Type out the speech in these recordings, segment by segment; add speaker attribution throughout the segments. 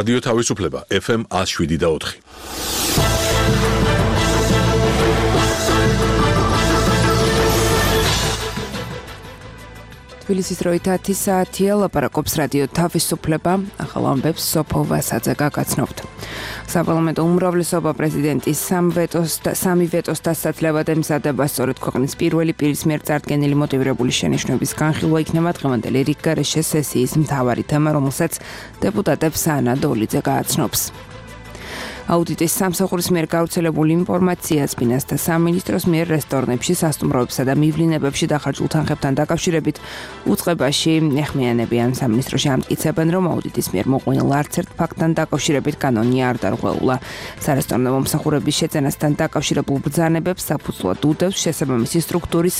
Speaker 1: რადიო თავისუფლება FM 107.4.
Speaker 2: თბილისის დროით 10 საათია, ლაპარაკობს რადიო თავისუფლება, ახალ ამბებს სოფო ვასაძე გაგაცნობთ. საპარლამენტო უმრავლესობა პრეზიდენტის სამი ვეტოს დასაცლებად ემზადება, სწორედ ქვეყნის პირველი პირის მიერ წარდგენილი მოტივირებული შენიშვნების განხილვა იქნება დღევანდელი რიგგარეშე სესიის მთავარი თემა, რომელსაც დეპუტატებს ანა დოლიძე გააცნობს. აუდიტის სამსახურის მიერ გავრცელებული ინფორმაცია ფინანსთა სამინისტროს მიერ რესტორნებში, სასტუმროებსა და მივლინებებში დახარჯულ თანხებთან დაკავშირებით უწყებაში ეხმიანებიან. სამინისტროში ამტკიცებენ, რომ აუდიტის მიერ მოყვანილ არც ერთ ფაქტთან დაკავშირებით კანონი არ დარღვეულა. სარესტორნო მომსახურების შეძენასთან დაკავშირებულ ბრძანებებს საფუძვლად უდევს შესაბამისი სტრუქტურის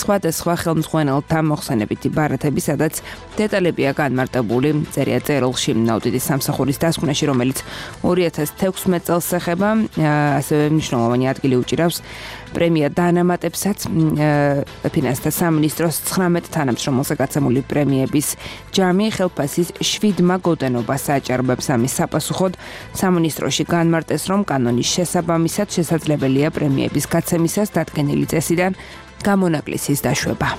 Speaker 2: სხვადასხვა ხელმძღვანელთა მოხსენებითი ბარათები, სადაც დეტალებია განმარტებული. წერია წერილში აუდიტის სამსახურის დასკვნაში, რომელიც 2016 წელს ეხება, ასევე მნიშვნელოვანი ადგილი უჭირავს პრემია დანამატებსაც ფინანსთა სამინისტროს 19 თანამშრომელზე გაცემული პრემიების ჯამი ხელფასის 7 გოდენობას აჭარბებს. ამის საპასუხოდ სამინისტროში განმარტეს, რომ კანონის შესაბამისად შესაძლებელია პრემიების გაცემისას დადგენილი წესიდან გამონაკლისის დაშვება.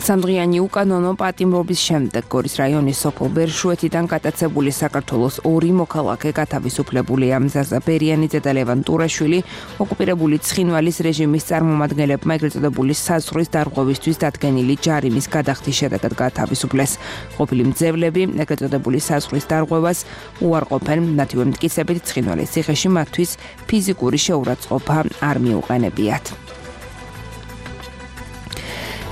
Speaker 2: სამდღიანი უკანონო პატიმრობის შემდეგ გორის რაიონის სოფელ ბერშუეთიდან გატაცებული საქართველოს 2 მოქალაქე გათავისუფლებულია. მზაზა ბერიანიძე და ლევან ტურაშვილი ოკუპირებული ცხინვალის რეჟიმის წარმომადგენლებმა ეგრეთ წოდებული საზღვრის დარღვევისთვის დადგენილი ჯარიმის გადახდის შედეგად გათავისუფლეს. ყოფილი მძევლები ეგრეთ წოდებული საზღვრის დარღვევას უარყოფენ. მათივე მტკიცებით ცხინვალის ციხეში მათთვის ფიზიკური შეურაცხყოფა არ მიუყენებიათ.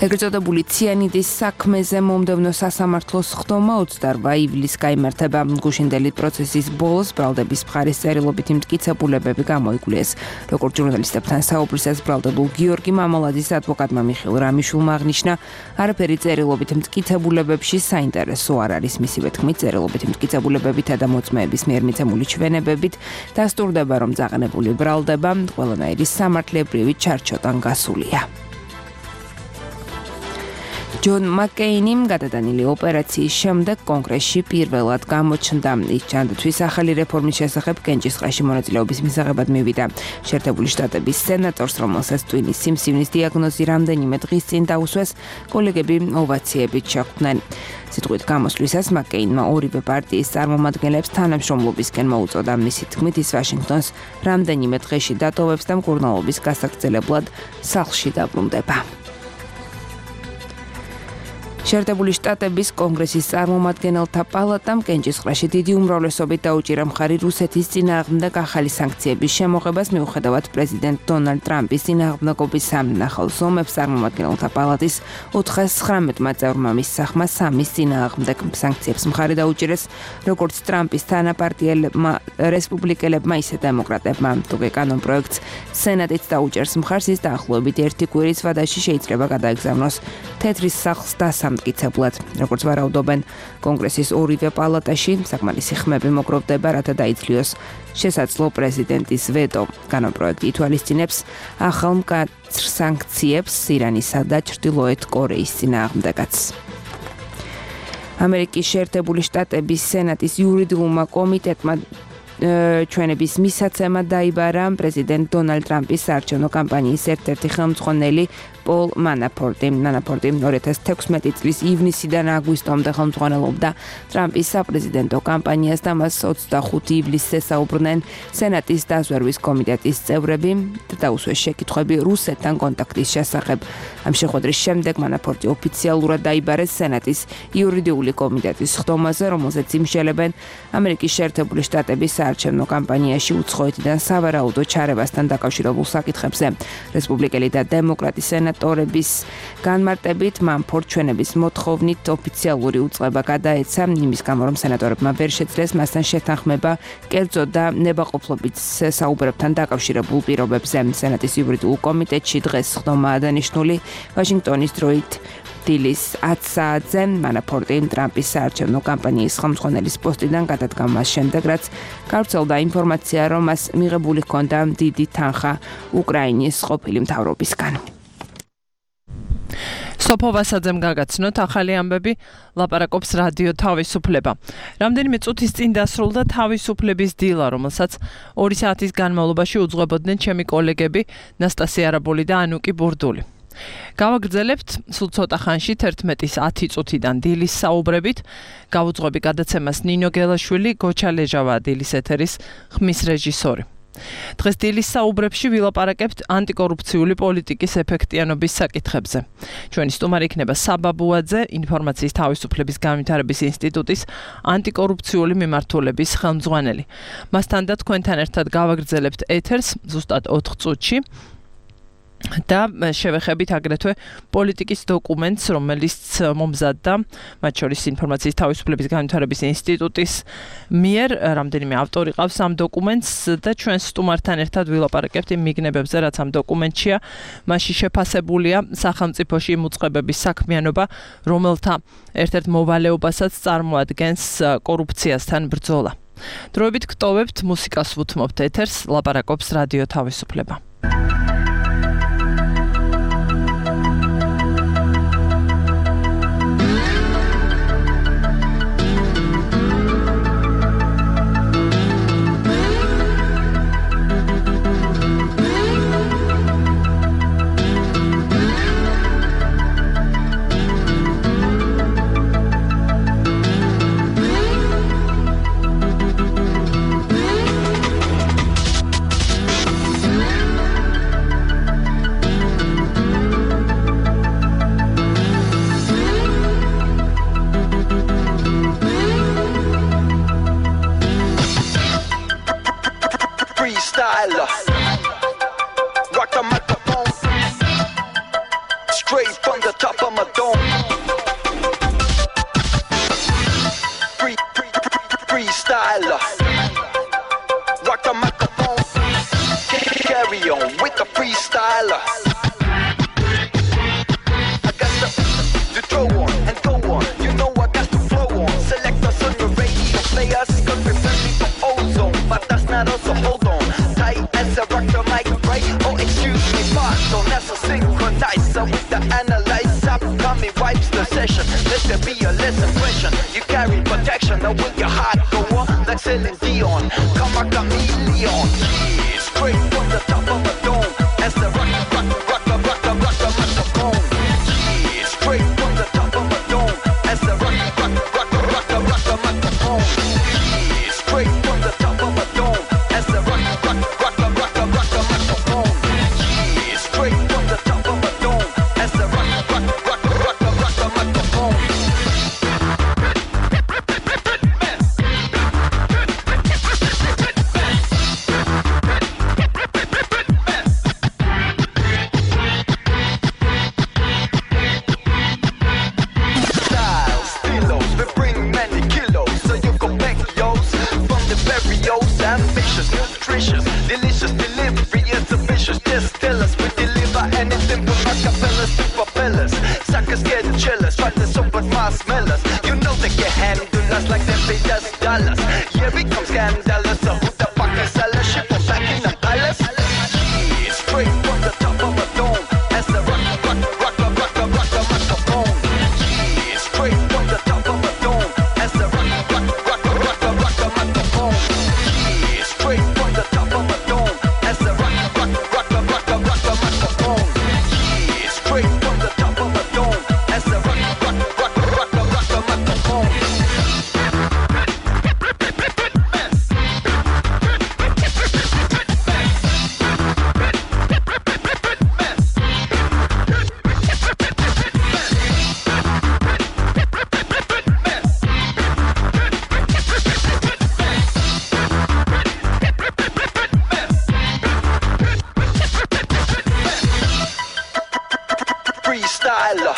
Speaker 2: ეგრეთ წოდებული ციანიდის საქმეზე მომდევნო სასამართლოს ხდომა 28 ივლისს გაიმართება. გუშინდელი პროცესის ბოლოს ბრალდების მხარის წერილობითი მტკიცებულებები გამოიკვლიეს. როგორც ჟურნალისტებთან საუბრისას ბრალდებულ გიორგი მამალაძის ადვოკატმა მიხეილ რამიშვილმა აღნიშნა, არაფერი წერილობითი მტკიცებულებებში საინტერესო არ არის. მისივე თქმით, წერილობითი მტკიცებულებებითა და მოწმეების მიერ მიცემული ჩვენებებით დასტურდება, რომ წაყენებული ბრალდება ყველანაირი სამართლებრივი ჩარჩოდან გასულია. ჯონ მაკეინიმ გადატანილი ოპერაციის შემდეგ კონგრესში პირველად გამოჩნდა. ის ჯანდაცვის ახალი რეფორმის შესახებ კენჭისყრაში მონაწილეობის მისაღებად მივიდა. შეერთებული შტატების სენატორს, რომელსაც ტვინის სიმსივნის დიაგნოზი რამდენიმე დღის წინ დაუსვეს, კოლეგები ოვაციებით შეხვდნენ. სიტყვით გამოსვლისას მაკეინმა ორივე პარტიის წარმომადგენლებს თანამშრომლობისკენ მოუწოდა. მისი თქმით, ის ვაშინგტონს რამდენიმე დღეში დატოვებს და მკურნალობის გასაგრძელებლად სახლში დაბრუნდება. შეერთებული შტატების კონგრესის წარმომადგენელთა პალატამ კენჭისყრაში დიდი უმრავლესობით დაუჭირა მხარი რუსეთის წინააღმდეგ ახალი სანქციების შემოღებას, მიუხედავად პრეზიდენტ დონალდ ტრამპის წინააღმდეგობისა. ახალ ზომებს წარმომადგენელთა პალატის 419 წევრმა მისსახმა სამის წინააღმდეგ სანქციებს მხარი დაუჭირეს, როგორც ტრამპის თანაპარტიელებმა რესპუბლიკელებმა, ისე დემოკრატებმა. თუკი კანონპროექტს სენატიც დაუჭერს მხარს, ის დაახლოებით 1 კვირის ვადაში შეიძლება გადაეგზავნოს თეთრის სახლს დასამტკიცებლად. როგორც ვარაუდობენ, კონგრესის ორივე პალატაში საკმარისი ხმები მოგროვდება, რათა დაიცლიოს შესაძლო პრეზიდენტის ვეტო. კანონპროექტი ითვალისწინებს ახალ მკაცრ სანქციებს ირანისა და ჩრდილოეთ კორეის წინააღმდეგაც. ამერიკის შეერთებული შტატების სენატის იურიდიულმა კომიტეტმა ჩვენების მისაცემა დაიბარა პრეზიდენტ დონალდ ტრამპის საარჩევნო კამპანიის ერთ-ერთი ხელმძღვანელი პოლ მანაფორტი. მანაფორტი 2016 წლის ივნისიდან აგვისტომდე ხელმძღვანელობდა ტრამპის საპრეზიდენტო კამპანიას და მას 25 ივლისს ესაუბრნენ სენატის დაზვერვის კომიტეტის წევრები და დაუსვეს შეკითხვები რუსეთთან კონტაქტის შესახებ. ამ შეხვედრის შემდეგ მანაფორტი ოფიციალურად დაიბარეს სენატის იურიდიული კომიტეტის ხდომაზე, რომელზეც იმშელებენ ამერიკის შეერთებული შტატების საარჩევნო კამპანიაში უცხოეთიდან სავარაუდო ჩარევასთან დაკავშირებულ საკითხებზე. რესპუბლიკელი და დემოკრატი სენატორების განმარტებით მანაფორტ ჩვენების მოთხოვნით ოფიციალური უწყება გადაეცა, იმის გამო რომ სენატორებმა ვერ შეძლეს მასთან შეთანხმება კერძო და ნებაყოფლობით საუბრებთან დაკავშირებულ პირობებზე. სენატის იურიდიულ კომიტეტში დღეს ხდომაა დანიშნული. ვაშინგტონის დროით დილის 10 საათზე მანაფორტი ტრამპის საარჩევნო კამპანიის ხელმძღვანელის პოსტიდან გადადგა მას შემდეგ, რაც გავრცელდა ინფორმაცია, რომ მას მიღებული ჰქონდა დიდი თანხა უკრაინის ყოფილი მთავრობისგან.
Speaker 3: სოფო ვასაძემ გაგაცნოთ ახალი ამბები, ლაპარაკობს რადიო თავისუფლება. რამდენიმე წუთის წინ დასრულდა თავისუფლების დილა, რომელსაც 2 საათის განმავლობაში უძღვებოდნენ ჩემი კოლეგები ნასტასია არაბული და ანუკი ბურდული. გავაგრძელებთ სულ ცოტა ხანში 11:10 წუთიდან დილის საუბრებით. გავუძღვები გადაცემას ნინო გელაშვილი, გოჩა ლეჟავა დილის ეთერის ხმის რეჟისორი. დღეს დილის საუბრებში ვილაპარაკებთ ანტიკორუფციული პოლიტიკის ეფექტიანობის საკითხებზე. ჩვენი სტუმარი იქნება საბა ბუაძე, ინფორმაციის თავისუფლების განვითარების ინსტიტუტის ანტიკორუფციული მიმართულების ხელმძღვანელი. მასთან და თქვენთან ერთად გავაგრძელებთ ეთერს ზუსტად 4 წუთში. და შევეხებით აგრეთვე პოლიტიკის დოკუმენტს, რომელიც მომზადდა, მათ შორის ინფორმაციის თავისუფლების განვითარების ინსტიტუტის მიერ, რამდენიმე ავტორი ყავს ამ დოკუმენტს და ჩვენ სტუმართან ერთად ვილაპარაკებთ იმ მიგნებებზე, რაც ამ დოკუმენტშია. მასში შეფასებულია სახელმწიფოში იმ უწყებების საქმიანობა, რომელთა ერთ-ერთ მოვალეობასაც წარმოადგენს კორუფციასთან ბრძოლა. დროებით გტოვებთ, მუსიკას ვუთმობთ ეთერს, ლაპარაკობს რადიო თავისუფლება.
Speaker 4: Rock the microphone straight from the top of my dome. Freestyler. Rock the microphone. Carry on with the freestyler. I got to throw on and go on. You know I got to flow on. Select us on your radio players. Cause we're friendly for ozone. But that's not us, so hold on. As I rock the mic, right? Oh, excuse me, pardon. That's a synchronizer with the analyzer. Coming wipes the session. Let there be a less impression. You carry protection, now will your heart go on? Like Celine Dion, come a chameleon. Yeah, straight from the top of a dome. As I rock the microphone. Yeah, straight from the top of a dome. As I rock the microphone. Yeah, straight from the top of a dome. As I rock the microphone. Yeah, straight from the top of a dome. As I rock the microphone. Styles, stilos, we bring many kilos, so you go back yours from the very old, ambitious, nutritious, delicious delivery is ambitious. Just tell us we deliver anything from acapellas to propellers. Suckers get jealous, try to soap but my smellers. You know they can handle us like they paid us dollars. Yeah, we come scandalous, so who the fuck is sellers? Ship them back in the palace. Yeah, straight from the top of a dome. As I rock the microphone. Yeah, straight from the top of a dome. As I rock the microphone. Yeah, straight from the top of a dome. As I rock the microphone. Yeah, straight from the top of a dome. As I rock the microphone. Freestyler.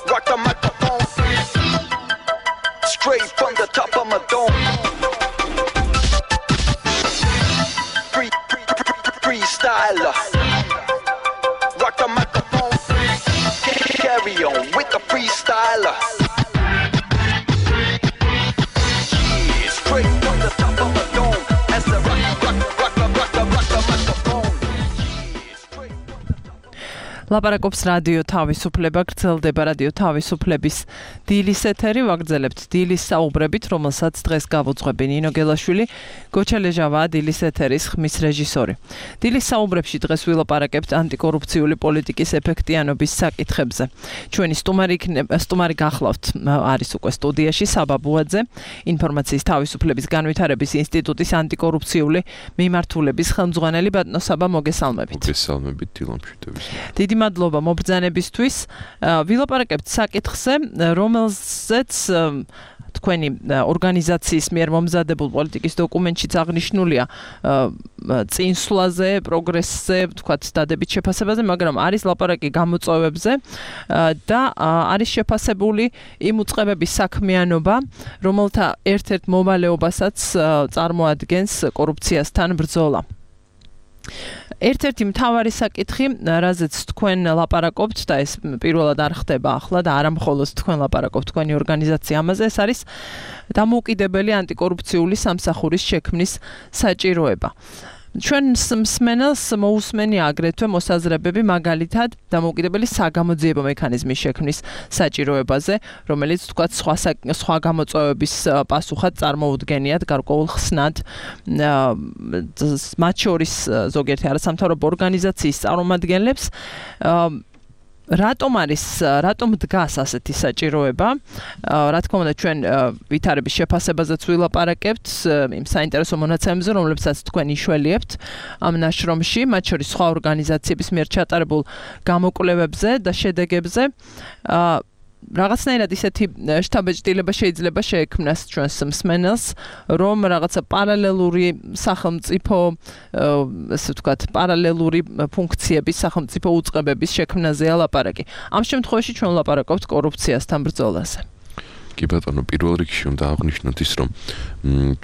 Speaker 4: Rock the microphone. Straight from the top of my dome. Freestyler. Rock the microphone. Carry on with the freestyler. Yeah, straight from the top of my dome. As I rock the microphone.
Speaker 3: ლაპარაკობს რადიო თავისუფლება, გრძელდება რადიო თავისუფლების დილის ეთერი, ვაგრძელებთ დილის საუბრებით, რომელსაც დღეს გავუძღვები ნინო გელაშვილი, გოჩა ლეჟავაა დილის ეთერის ხმის რეჟისორი. დილის საუბრებში დღეს ვილაპარაკებთ ანტიკორუფციული პოლიტიკის ეფექტიანობის საკითხებზე. ჩვენი სტუმარი გახლავთ არის უკვე სტუდიაში საბა ბუაძე, ინფორმაციის თავისუფლების განვითარების ინსტიტუტის ანტიკორუფციული მიმართულების ხელმძღვანელი. ბატონო საბა, მოგესალმებით.
Speaker 5: მოგესალმებით დილამშვიდობის.
Speaker 3: დიდი მადლობა მობრძანებისთვის. ვილაპარაკებთ საკითხზე, რომელზეც თქვენი ორგანიზაციის მიერ მომზადებულ პოლიტიკის დოკუმენტშიც აღნიშნულია წინსვლაზე, პროგრესზე, თქვათ დადებით შეფასებაზე, მაგრამ არის ლაპარაკი გამოწვევებზე და არის შეფასებული იმ უწყებების საქმიანობა, რომელთა ერთ-ერთ მოვალეობასაც წარმოადგენს კორუფციასთან ბრძოლა. ერთ-ერთი მთავარი საკითხი, რაზეც თქვენ ლაპარაკობთ და ეს პირველად არ ხდება ახლა და არა მხოლოდ თქვენ ლაპარაკობთ, თქვენი ორგანიზაცია ამაზე, ეს არის დამოუკიდებელი ანტიკორუფციული სამსახურის შექმნის საჭიროება. ჩვენს მსმენელს მოусმენია აგრეთვე მოსაზრებები მაგალითად დამოუკიდებელი საგამოძიებო მექანიზმის შექმნის საჭიროებაზე, რომელიც თქვათ სხვა გამოწვევების პასუხად წარმოუდგენიათ გარკვეულ ხსნად, მათ შორის ზოგიერთი არასამთავრობო ორგანიზაციის წარმომადგენლებს. რატომ დგას ასეთი საჭიროება? რა თქმა უნდა, ჩვენ ვითარების შეფასებაზეც ვილაპარაკებთ, იმ საინტერესო მონაცემებზე, რომლებსაც თქვენ იშველიებთ ამ ნაშრომში, მათ შორის სხვა ორგანიზაციების მიერ ჩატარებულ გამოკვლევებზე და შედეგებზე. რაღაცნაირად ისეთი შთაბეჭდილება შეიძლება შეექმნას ჩვენს მსმენელს, რომ რაღაცა პარალელური სახელმწიფო, ასე ვთქვათ, პარალელური ფუნქციების, სახელმწიფო უწყებების შექმნაზეა ლაპარაკი. ამ შემთხვევაში ჩვენ ლაპარაკობთ კორუფციასთან ბრძოლაზე.
Speaker 5: კი ბატონო, პირველ რიგში უნდა აღვნიშნოთ ის, რომ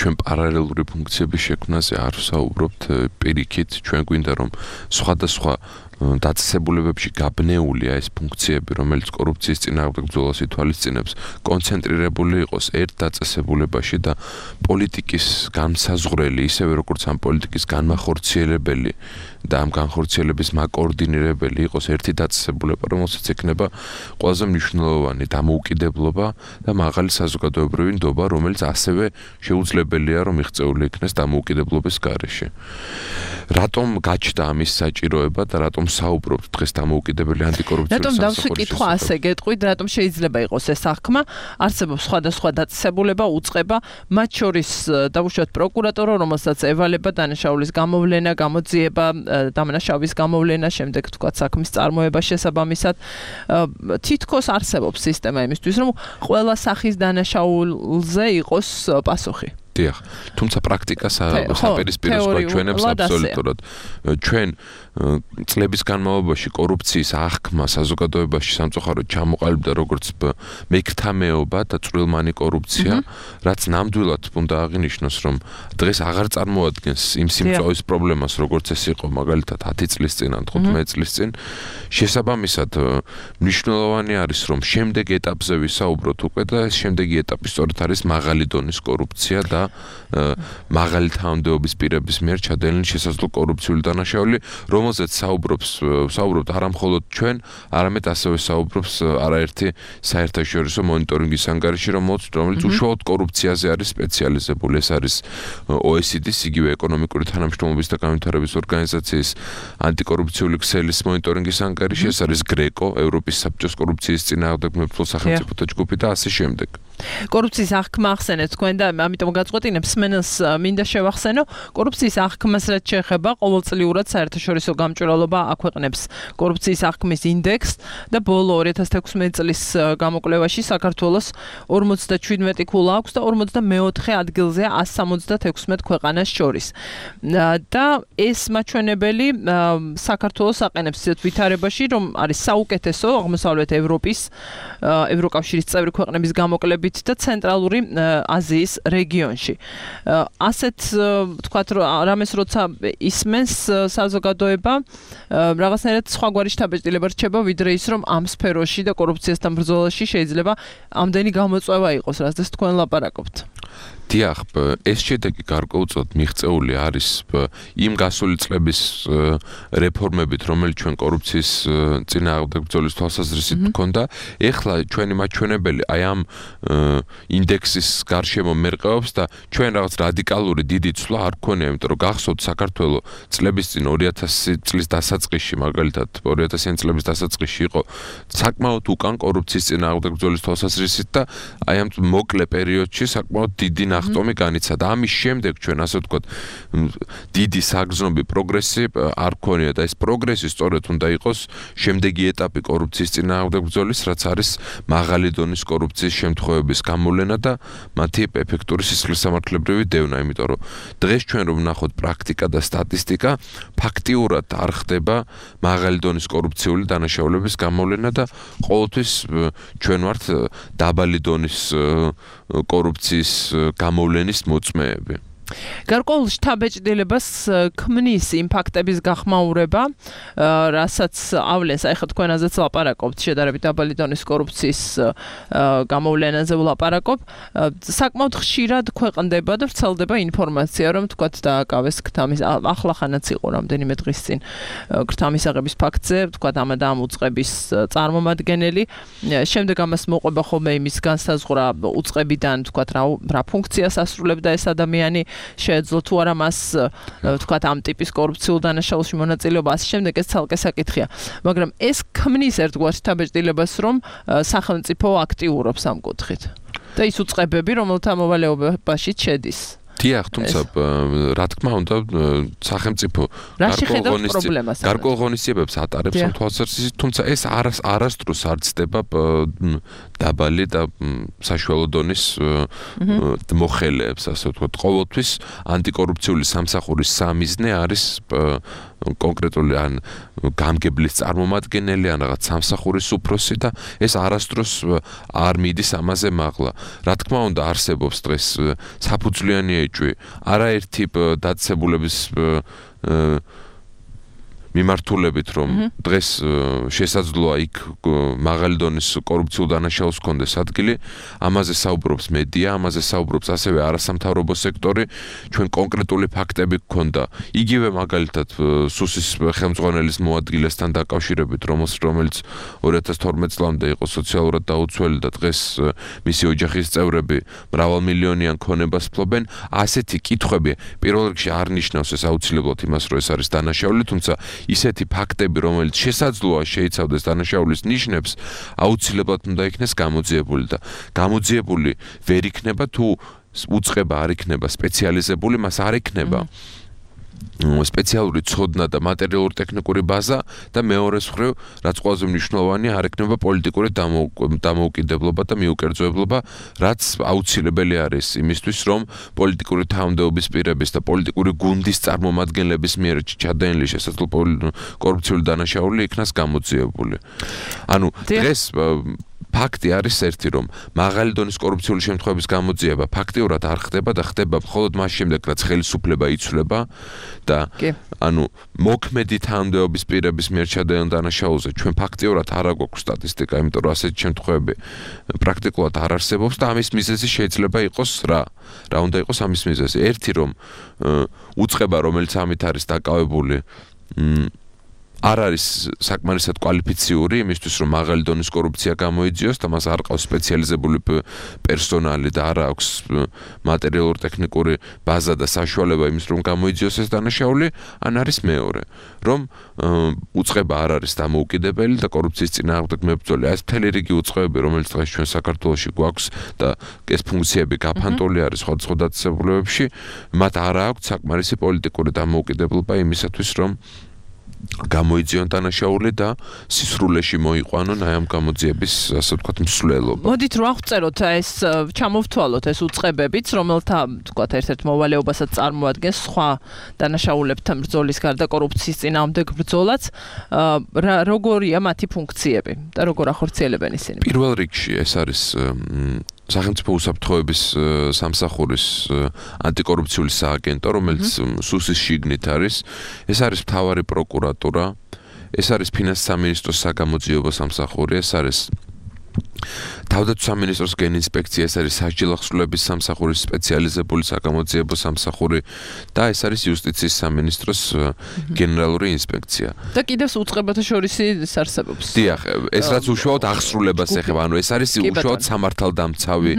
Speaker 5: ჩვენ პარალელური ფუნქციების შექმნაზე არ ვსაუბრობთ პირიქით, ჩვენ გვინდა რომ სხვადასხვა დაწესებულებებში გაბნეულია ეს ფუნქციები, რომელიც კორუფციის წინააღმდეგ ბრძოლას ითვალისწინებს, კონცენტრირებული იყოს ერთ დაწესებულებაში და პოლიტიკის განმსაზღვრელი, ისევე როგორც ამ პოლიტიკის განმახორციელებელი და ამ განხორციელების მაკოორდინირებელი იყოს ერთი დაწესებულება, რომელსაც ექნება ყველაზე მნიშვნელოვანი დამოუკიდებლობა და მაღალი საზოგადოებრივი ნდობა, რომელიც ასევე შეუძლებელია, რომ მიღწეული იქნეს დამოუკიდებლობის გარეშე. რატომ გაჩნდა ამის საჭიროება და რატომ საუბრობთ დღეს დამოუკიდებელი ანტიკორუფციული
Speaker 3: სამსახურის? რატომ დავსვი კითხვა ასე გეტყვით, რატომ შეიძლება იყოს ეს აღქმა? არსებობს სხვადასხვა დაწესებულება, უწყება, მათ შორის დავუშვათ პროკურატურა, რომელსაც ევალება დანაშაულის გამოვლენა, გამოძიება, დამნაშავის გამოვლენა, შემდეგ თქვა საქმის წარმოება შესაბამისად. თითქოს არსებობს სისტემა იმისთვის, რომ ყველა სახის დანაშაულზე იყოს პასუხი.
Speaker 5: დიახ, თუმცა პრაქტიკა საპირისპიროს გვაჩვენებს აბსოლუტურად. ჩვენ წლების განმავლობაში კორუფციის აღქმა საზოგადოებაში სამწუხაროდ ჩამოყალიბდა როგორც მეკრთამეობა და წვრილმანი კორუფცია, რაც ნამდვილად უნდა აღინიშნოს, რომ დღეს აღარ წარმოადგენს იმ სიმწვავის პრობლემას, როგორც ეს იყო მაგალითად 10 წლის წინ ან 15 წლის წინ. შესაბამისად, მნიშვნელოვანი არის, რომ შემდეგ ეტაპზე ვისაუბროთ უკვე და ეს შემდეგი ეტაპი სწორედ არის მაღალი დონის კორუფცია და მაღალი თანამდებობის პირების მიერ ჩადენილი შესაძლო კორუფციული დანაშაული, რომელზეც საუბრობთ არა მხოლოდ ჩვენ, არამედ ასევე საუბრობს არაერთი საერთაშორისო მონიტორინგის ანგარიში, რომელიც უშუალოდ კორუფციაზე არის სპეციალიზებული. ეს არის OECD-ს, იგივე ეკონომიკური თანამშრომლობის და განვითარების ორგანიზაციის ანტიკორუფციული ქსელის მონიტორინგის ანგარიში, ეს არის GRECO, ევროპის საბჭოს კორუფციის წინააღმდეგ მებრძოლ სახელმწიფოთა ჯგუფი და ასე შემდეგ.
Speaker 3: კორუფციის აღქმა ახსენეთ თქვენ და ამიტომ გაწყვეტინებ მსმენელს მინდა შევახსენო, კორუფციის აღქმას რაც შეეხება, ყოველწლიურად საერთაშორისო გამჭვირვალობა აქვეყნებს კორუფციის აღქმის ინდექსს და ბოლო 2016 წლის გამოკვლევაში საქართველოს 57 ქულა აქვს და 44 ადგილზეა 176 ქვეყანას შორის. და ეს მაჩვენებელი საქართველოს აყენებს ისეთ ვითარებაში, რომ არის საუკეთესო აღმოსავლეთ ევროპის, ევროკავშირის წევრი ქვეყნების გამოკვლევები განმავლობით და ცენტრალური აზიის რეგიონში. ასეთ თქვათ რომ რამეს როცა ისმენს საზოგადოება რაღაცნაირად სხვაგვარი შთაბეჭდილება რჩება ვიდრე ის რომ ამ სფეროში და კორუფციასთან ბრძოლაში შეიძლება ამდენი გამოწვევა იყოს, რასაც თქვენ ლაპარაკობთ.
Speaker 5: დიახ, ეს შედეგი გარკვეულწილად მიღწეული არის იმ გასული წლების რეფორმებით, რომელიც ჩვენ კორუფციის წინააღმდეგ ბრძოლის თვალსაზრისით ჰქონდა. ეხლა ჩვენი მაჩვენებელი აი ამ ინდექსის გარშემო მერყეობს და ჩვენ რაღაც რადიკალური დიდი ცვლა არ გქონია, იმიტომ რომ გახსოვთ საქართველოს წლების წინ 2000 წლის დასაწყისში, მაგალითად 2000 წლების დასაწყისში იყო საკმაოდ უკან კორუფციის წინააღმდეგ ბრძოლის თვალსაზრისით და აი ამ მოკლე პერიოდში საკმაოდ დიდი ნახტომი განიცადა. ამის შემდეგ ჩვენ ასე ვთქვათ დიდი საგრძნობი პროგრესი არ გქონია და ეს პროგრესი სწორედ უნდა იყოს შემდეგი ეტაპი კორუფციის წინააღმდეგ ბრძოლის, რაც არის მაღალი დონის კორუფციის შემთხვევების გამოვლენა და მათი ეფექტური სისხლისამართლებრივი დევნა, იმიტომ რომ დღეს ჩვენ რომ ვნახოთ პრაქტიკა და სტატისტიკა, ფაქტიურად არ ხდება მაღალი დონის კორუფციული დანაშაულების გამოვლენა და ყოველთვის ჩვენ ვართ დაბალი დონის კორუფციის გამოვლენის მოწმეები.
Speaker 3: გარკვეულ შთაბეჭდილებას ქმნის იმ ფაქტების გახმაურება, რასაც ავლენს, აი ხა თქვენ ასეც ლაპარაკობთ, შედარებით დაბალი დონის კორუფციის გამოვლენაზე ვლაპარაკობ. საკმაოდ ხშირად ქვეყნდება და ვრცელდება ინფორმაცია, რომ თქვათ დააკავეს ქთამის, ახლახანაც იყო რამდენიმე დღის წინ ქთამისაღების ფაქტზე, თქვათ ამ და ამ უწყების წარმომადგენელი. შემდეგ ამას მოყვება ხოლმე იმის განსაზღვრა უწყებიდან, თქვათ რა ფუნქციას ასრულებდა ეს ადამიანი. შეეძლო თუ არა მას თქვათ ამ ტიპის კორუფციულ დანაშაულში მონაწილეობა, ასე შემდეგ ეს ცალკე საკითხია. მაგრამ ეს ქმნის ერთგვარ შთაბეჭდილებას, რომ სახელმწიფო აქტიურობს ამ კუთხით. და ის უწყებები, რომელთა მოვალეობაში შედის.
Speaker 5: დიახ, თუმცა რა თქმა უნდა სახელმწიფო გარკვეულ ღონისძიებებს ატარებს ამ თვალსაზრისით, თუმცა ეს არასდროს არ ცდება დაბალი და საშუალო დონის მოხელეებს, ასე ვთქვათ. ყოველთვის ანტიკორუფციული სამსახურის სამიზნე არის კონკრეტული ან გამგებლის წარმომადგენელი ან რაღაც სამსახურის უფროსი და ეს არასდროს არ მიდის ამაზე მაღლა. რა თქმა უნდა არსებობს დღეს საფუძვლიანი ეჭვი არაერთი დაწესებულების მიმართულებით, რომ დღეს შესაძლოა იქ მაღალი დონის კორუფციულ დანაშაულს ჰქონდეს ადგილი, ამაზე საუბრობს მედია, ამაზე საუბრობს ასევე არასამთავრობო სექტორი, ჩვენ კონკრეტული ფაქტები გქონდა. იგივე მაგალითად სუსის ხელმძღვანელის მოადგილესთან დაკავშირებით, რომელიც 2012 წლამდე იყო სოციალურად დაუცველი და დღეს მისი ოჯახის წევრები მრავალმილიონიან ქონებას ფლობენ. ასეთი კითხვები პირველ რიგში არ ნიშნავს ეს აუცილებლად იმას, რომ ეს არის დანაშაული, თუმცა ისეთი ფაქტები, რომელიც შესაძლოა შეიცავდეს დანაშაულის ნიშნებს, აუცილებლად უნდა იქნეს გამოძიებული და გამოძიებული ვერ იქნება თუ უწყება არ იქნება სპეციალიზებული, მას არ იქნება სპეციალური ცოდნა და მატერიალური ტექნიკური ბაზა და მეორე მხრივ, რაც ყველაზე მნიშვნელოვანია, არ იქნება პოლიტიკური დამოუკიდებლობა და მიუკერძოებლობა, რაც აუცილებელი არის იმისთვის, რომ პოლიტიკური თავმდეობის პირების და პოლიტიკური გუნდის წარმომადგენლების მიერ ჩადენილი შესაძლო კორუფციული დანაშაული იქნას გამოძიებული. ანუ დღეს ფაქტი არის ერთი, რომ მაღალი დონის კორუფციული შემთხვევების გამოძიება ფაქტიურად არ ხდება და ხდება მხოლოდ მას შემდეგ, რაც ხელისუფლება იცვლება და ანუ მოქმედი თანამდებობის პირების მიერ ჩადენილ დანაშაულზე ჩვენ ფაქტიურად არ აგვაქვს სტატისტიკა, იმიტომ რომ ასეთი შემთხვევები პრაქტიკულად არ არსებობს და ამის მიზეზი შეიძლება იყოს რა უნდა იყოს ამის მიზეზი? ერთი, რომ უწყება, რომელიც ამით არის დაკავებული, არ არის საკმარისად კვალიფიციური იმისთვის, რომ მაღალი დონის კორუფცია გამოიძიოს და მას არ ყავს სპეციალიზებული პერსონალი და არ აქვს მატერიალური ტექნიკური ბაზა და საშუალება იმის, რომ გამოიძიოს ეს დანაშაული, ან არის მეორე, რომ უწყება არ არის დამოუკიდებელი და კორუფციის წინააღმდეგ მებრძოლი. ეს მთელი რიგი უწყებები, რომელიც დღეს ჩვენ საქართველოში გვაქვს და ეს ფუნქციები გაფანტული არის სხვადასხვა დაწესებულებებში, მათ არ აქვს საკმარისი პოლიტიკური დამოუკიდებლობა იმისათვის, რომ გამოიძიონ დანაშაული და სისრულეში მოიყვანონ აი ამ გამოძიების, ასე ვთქვათ, მსვლელობა.
Speaker 3: მოდით რა ვწეროთ ეს ჩამოვთვალოთ ეს უწყებებიც, რომელთა ვთქვათ ერთ-ერთ მოვალეობასაც წარმოადგენს სხვა დანაშაულებთან ბრძოლის გარდა კორუფციის წინააღმდეგ ბრძოლაც, როგორია მათი ფუნქციები და როგორ ახორციელებენ ისინი?
Speaker 5: პირველ რიგში ეს არის სახელმწიფო უსაფრთხოების სამსახურის ანტიკორუფციული სააგენტო, რომელიც სუსის შიგნით არის, ეს არის მთავარი პროკურატურა, ეს არის ფინანსთა სამინისტროს საგამოძიებო სამსახური, ეს არის თავდაცვის სამინისტროს გენინსპექცია, ეს არის სასჯელახსრულების სამსახურის სპეციალიზებული საგამოძიებო სამსახური და ეს არის იუსტიციის სამინისტროს გენერალური ინსპექცია.
Speaker 3: და კიდევ უწყებათა შორისი არსებობს.
Speaker 5: დიახ, ეს რაც უშუალოდ აღსრულებას ეხება, ანუ ეს არის უშუალოდ სამართალდამცავი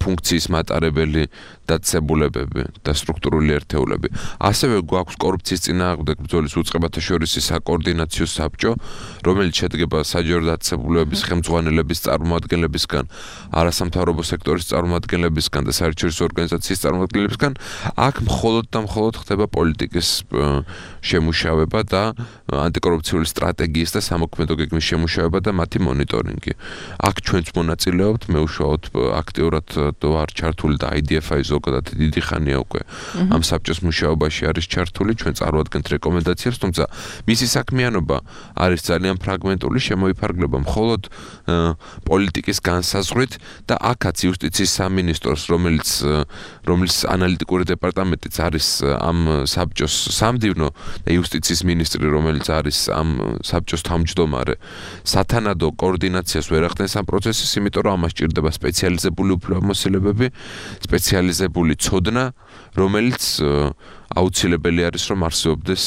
Speaker 5: ფუნქციის მატარებელი დაწესებულებები და სტრუქტურული ერთეულები. ასევე გვაქვს კორუფციის წინააღმდეგ ბრძოლის უწყებათა შორისი საკოორდინაციო საბჭო, რომელიც შედგება საჯარო დაწესებულებების ხელმძღვანელების წარმომადგენლებისგან, არასამთავრობო სექტორის წარმომადგენლებისგან და საერთაშორისო ორგანიზაციის წარმომადგენლებისგან. აქ მხოლოდ და მხოლოდ ხდება პოლიტიკის შემუშავება და ანტიკორუფციული სტრატეგიის და სამოქმედო გეგმის შემუშავება და მათი მონიტორინგი. აქ ჩვენც მონაწილეობთ, მე უშუალოდ აქტიურად ვარ ჩართული და IDF-ი ზოგადად დიდი ხანია უკვე ამ საბჭოს მუშაობაში არის ჩართული, ჩვენ წარვადგენთ რეკომენდაციებს, თუმცა მისი საქმიანობა არის ძალიან ფრაგმენტული, შემოიფარგლება მხოლოდ პოლიტიკის განსაზღვრით და აქაც იუსტიციის სამინისტროს, რომელიც ანალიტიკური დეპარტამენტიც არის ამ საბჭოს სამდივნო და იუსტიციის მინისტრი, რომელიც არის ამ საბჭოს თავმჯდომარე, სათანადო კოორდინაციას ვერ ახდენს ამ პროცესის, იმიტომ რომ ამას ჭირდება სპეციალიზებული უფლებამოსილებები, სპეციალიზებული ცოდნა, რომელიც აუცილებელი არის, რომ არსებობდეს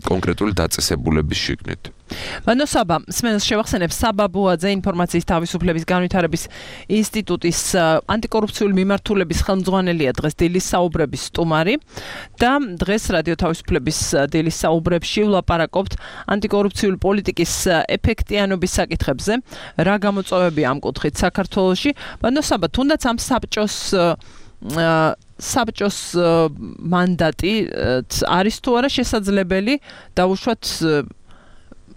Speaker 5: კონკრეტული დაწესებულების შიგნით.
Speaker 3: ბანო საბა, სმენელს შევახსენებ საბა ბუაძე ინფორმაციის თავისუფლების განვითარების ინსტიტუტის ანტიკორუფციული მიმართულების ხელმძღვანელია დღეს დილის საუბრების სტუმარი და დღეს რადიო თავისუფლების დილის საუბრებში ვლაპარაკობთ ანტიკორუფციული პოლიტიკის ეფექტიანობის საკითხებზე, რა გამოწვევები ამ კუთხით საქართველოში. ბანო საბა, თუნდაც ამ საბჭოს მანდატი არის თუ არა შესაძლებელი დაუშვათ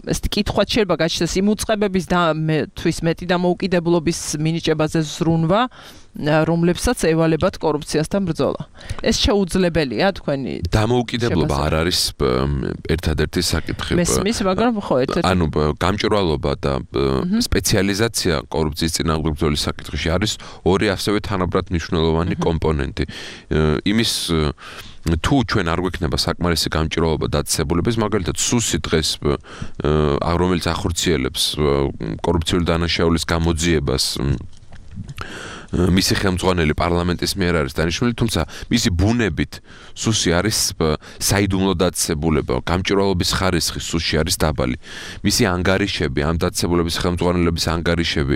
Speaker 3: ეს კითხვა შეიძლება გაჩნდეს იმ უწყებების და თვის მეტი დამოუკიდებლობის მინიჭებაზე ზრუნვა, რომლებსაც ევალებათ კორუფციასთან ბრძოლა. ეს შეუძლებელია თქვენი
Speaker 5: დამოუკიდებლობა არ არის ერთადერთი საკითხი.
Speaker 3: მესმის, მაგრამ ხო ერთ-ერთი.
Speaker 5: ანუ გამჭვირვალობა და სპეციალიზაცია კორუფციის წინააღმდეგ ბრძოლის საკითხში არის ორი ასევე თანაბრად მნიშვნელოვანი კომპონენტი. იმის თუ ჩვენ არ გვექნება საკმარისი გამჭვირვალობა დაწესებულების, მაგალითად სუსი დღეს რომელიც ახორციელებს კორუფციული დანაშაულის გამოძიებას, მისი ხელმძღვანელი პარლამენტის მიერ არის დანიშნული, თუმცა მისი ბუნებით სუსი არის საიდუმლო დაწესებულება, გამჭვირვალობის ხარისხი სუსში არის დაბალი. მისი ანგარიშები, ამ დაწესებულების ხელმძღვანელების ანგარიშები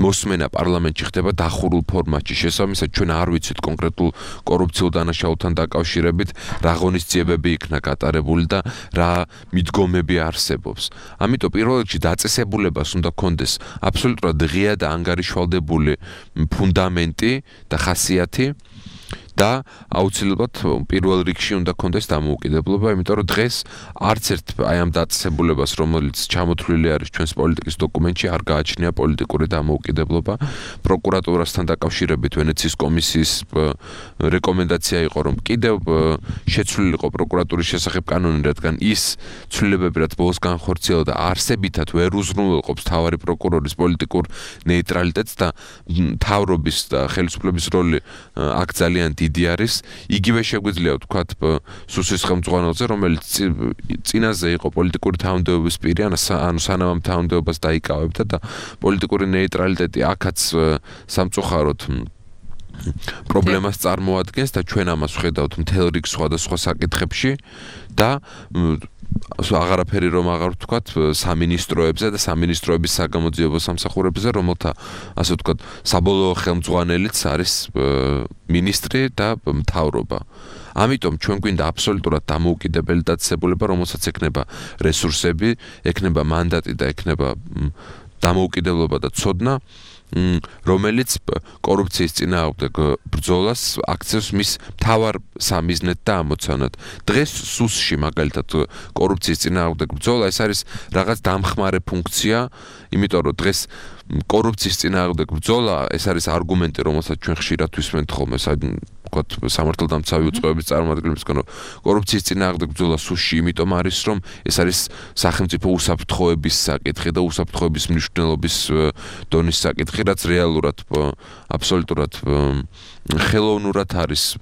Speaker 5: მოსმენა პარლამენტში ხდება დახურულ ფორმატში. შესაბამისად, ჩვენ არ ვიცით კონკრეტულ კორუფციულ დანაშაულთან დაკავშირებით რა ღონისძიებები იქნა გატარებული და რა მიდგომები არსებობს. ამიტომ პირველ რიგში დაწესებულებას უნდა კონდეს აბსოლუტურად ღია და ანგარიშვალდებული ფუნდამენტი და ხასიათი და აუცილებლად პირველ რიგში უნდა კონდეს დამოუკიდებლობა, იმიტომ რომ დღეს არც ერთ აი ამ დაწესებულებას, რომელიც ჩამოთვლილი არის ჩვენს პოლიტიკის დოკუმენტში, არ გააჩნია პოლიტიკური დამოუკიდებლობა. პროკურატურასთან დაკავშირებით ვენეციის კომისიის რეკომენდაცია იყო, რომ კიდევ შეცვლილიყო პროკურატურის შესახებ კანონი, რადგან ის ცვლილებები, რაც ბოლოს განხორციელდა, არსებითად ვერ უზრუნველყოფს მთავარი პროკურორის პოლიტიკურ ნეიტრალიტეტს და მთავრობის და ხელისუფლების როლი აქ ძალიან დიდი არის. იგივე შეგვიძლია ვთქვათ სუსის ხელმძღვანელზე, რომელიც წინაზე იყო პოლიტიკური თანამდებობის პირი, ანუ სანამ ამ თანამდებობას დაიკავებდა და პოლიტიკური ნეიტრალიტეტი აქაც სამწუხაროდ პრობლემას წარმოადგენს და ჩვენ ამას ვხედავთ მთელ რიგ სხვადასხვა საკითხებში და აღარაფერი რომ აღარ ვთქვათ სამინისტროებზე და სამინისტროების საგამოძიებო სამსახურებზე, რომელთა ასე ვთქვათ საბოლოო ხელმძღვანელიც არის მინისტრი და მთავრობა. ამიტომ ჩვენ გვინდა აბსოლუტურად დამოუკიდებელი დაწესებულება, რომელსაც ექნება რესურსები, ექნება მანდატი და ექნება დამოუკიდებლობა და ცოდნა, რომელიც კორუფციის წინააღმდეგ ბრძოლას აქცევს მის მთავარ სამიზნედ და ამოცანად. დღეს სუსში მაგალითად კორუფციის წინააღმდეგ ბრძოლა ეს არის რაღაც დამხმარე ფუნქცია, იმიტომ რომ დღეს კორუფციის წინააღმდეგ ბრძოლა ეს არის არგუმენტი, რომელსაც ჩვენ ხშირად ვისმენთ ხოლმე ვთქვათ, სამართალდამცავი უწყებების წარმოადგენლისგან, რომ კორუფციის წინააღმდეგ ბრძოლა სუსში იმიტომ არის, რომ ეს არის სახელმწიფო უსაფრთხოების საკითხი და უსაფრთხოების მნიშვნელობის დონის საკითხი, რაც რეალურად აბსოლუტურად ხელოვნურად არის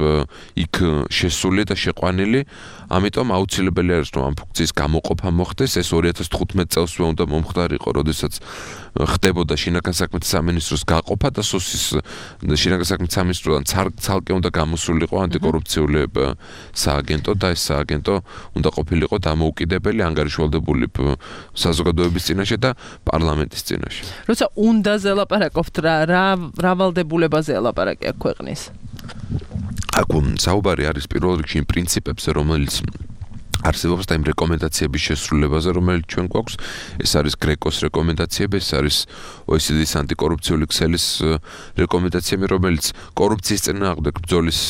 Speaker 5: იქ შესული და შეყვანილი, ამიტომ აუცილებელი არის რომ ამ ფუნქციის გამოყოფა მოხდეს, ეს 2015 წელსვე უნდა მომხდარიყო, როდესაც ხდებოდა შინაგან საქმეთა სამინისტროს გაყოფა და სუსის შინაგან საქმეთა სამინისტროდან ცალკე უნდა გამოსულიყო ანტიკორუფციული სააგენტო და ეს სააგენტო უნდა ყოფილიყო დამოუკიდებელი, ანგარიშვალდებული საზოგადოების წინაშე და პარლამენტის წინაშე.
Speaker 3: როცა უნდაზე ლაპარაკობთ, რა ვალდებულებაზე ლაპარაკია ქვეყნის?
Speaker 5: აქ საუბარი არის პირველ რიგში იმ პრინციპებზე, რომელიც არსებობს და იმ რეკომენდაციების შესრულებაზე, რომელიც ჩვენ გვაქვს, ეს არის გრეკოს რეკომენდაციები, ეს არის OECD-ის ანტიკორუფციული ქსელის რეკომენდაციები, რომელიც კორუფციის წინააღმდეგ ბრძოლის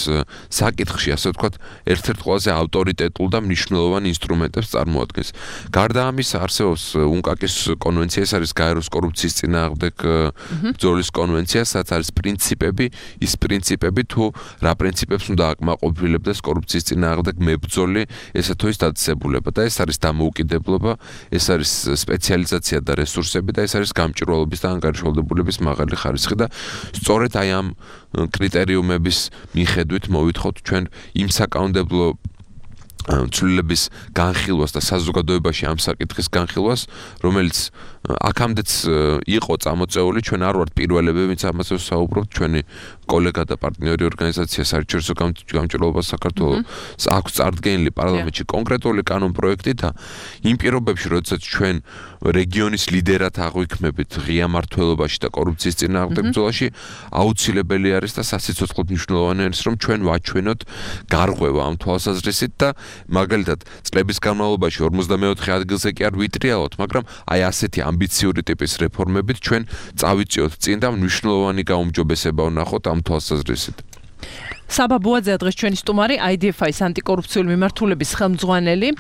Speaker 5: საკითხში, ასე ვთქვათ, ერთ-ერთ ყველაზე ავტორიტეტულ და მნიშვნელოვან ინსტრუმენტებს წარმოადგენს. გარდა ამისა, არსებობს UNCAC-ის კონვენცია, ეს არის გაეროს კორუფციის წინააღმდეგ ბრძოლის კონვენცია, სადაც არის პრინციპები, ის პრინციპები თუ რა პრინციპებს უნდა აკმაყოფილებდეს კორუფციის წინააღმდეგ მებრძოლი, ესა თუ ის დაწესებულება და ეს არის დამოუკიდებლობა, ეს არის სპეციალიზაცია და რესურსები და ეს არის გამჭვირვალობის და ანგარიშვალდებულების მაღალი ხარისხი და სწორედ აი ამ კრიტერიუმების მიხედვით მოვითხოვთ ჩვენ იმ საკანონმდებლო ცვლილების განხილვას და საზოგადოებაში ამ საკითხის განხილვას, რომელიც აქამდეც იყო წამოწეული, ჩვენ არ ვართ პირველები, ვინც ამაზე ვსაუბრობთ, ჩვენი კოლეგა და პარტნიორი ორგანიზაცია საერთაშორისო გამჭვირვალობა საქართველოს აქვს წარდგენილი პარლამენტში კონკრეტული კანონპროექტი და იმ პირობებში, როდესაც ჩვენ რეგიონის ლიდერად აღვიქმებით ღია მმართველობაში და კორუფციის წინააღმდეგ ბრძოლაში, აუცილებელი არის და სასიცოცხლოდ მნიშვნელოვანი არის, რომ ჩვენ ვაჩვენოთ გარღვევა ამ თვალსაზრისით და მაგალითად, წლების განმავლობაში 54 ადგილზე კი არ ვიტრიალოთ, მაგრამ აი ასეთი ამბიციური ტიპის რეფორმებით ჩვენ წავიწიოთ წინ და მნიშვნელოვანი გაუმჯობესება ვნახოთ ამ თვალსაზრისით.
Speaker 3: საბა ბუაძე დღეს ჩვენი სტუმარი, IDF-ის ანტიკორუფციული მიმართულების ხელმძღვანელი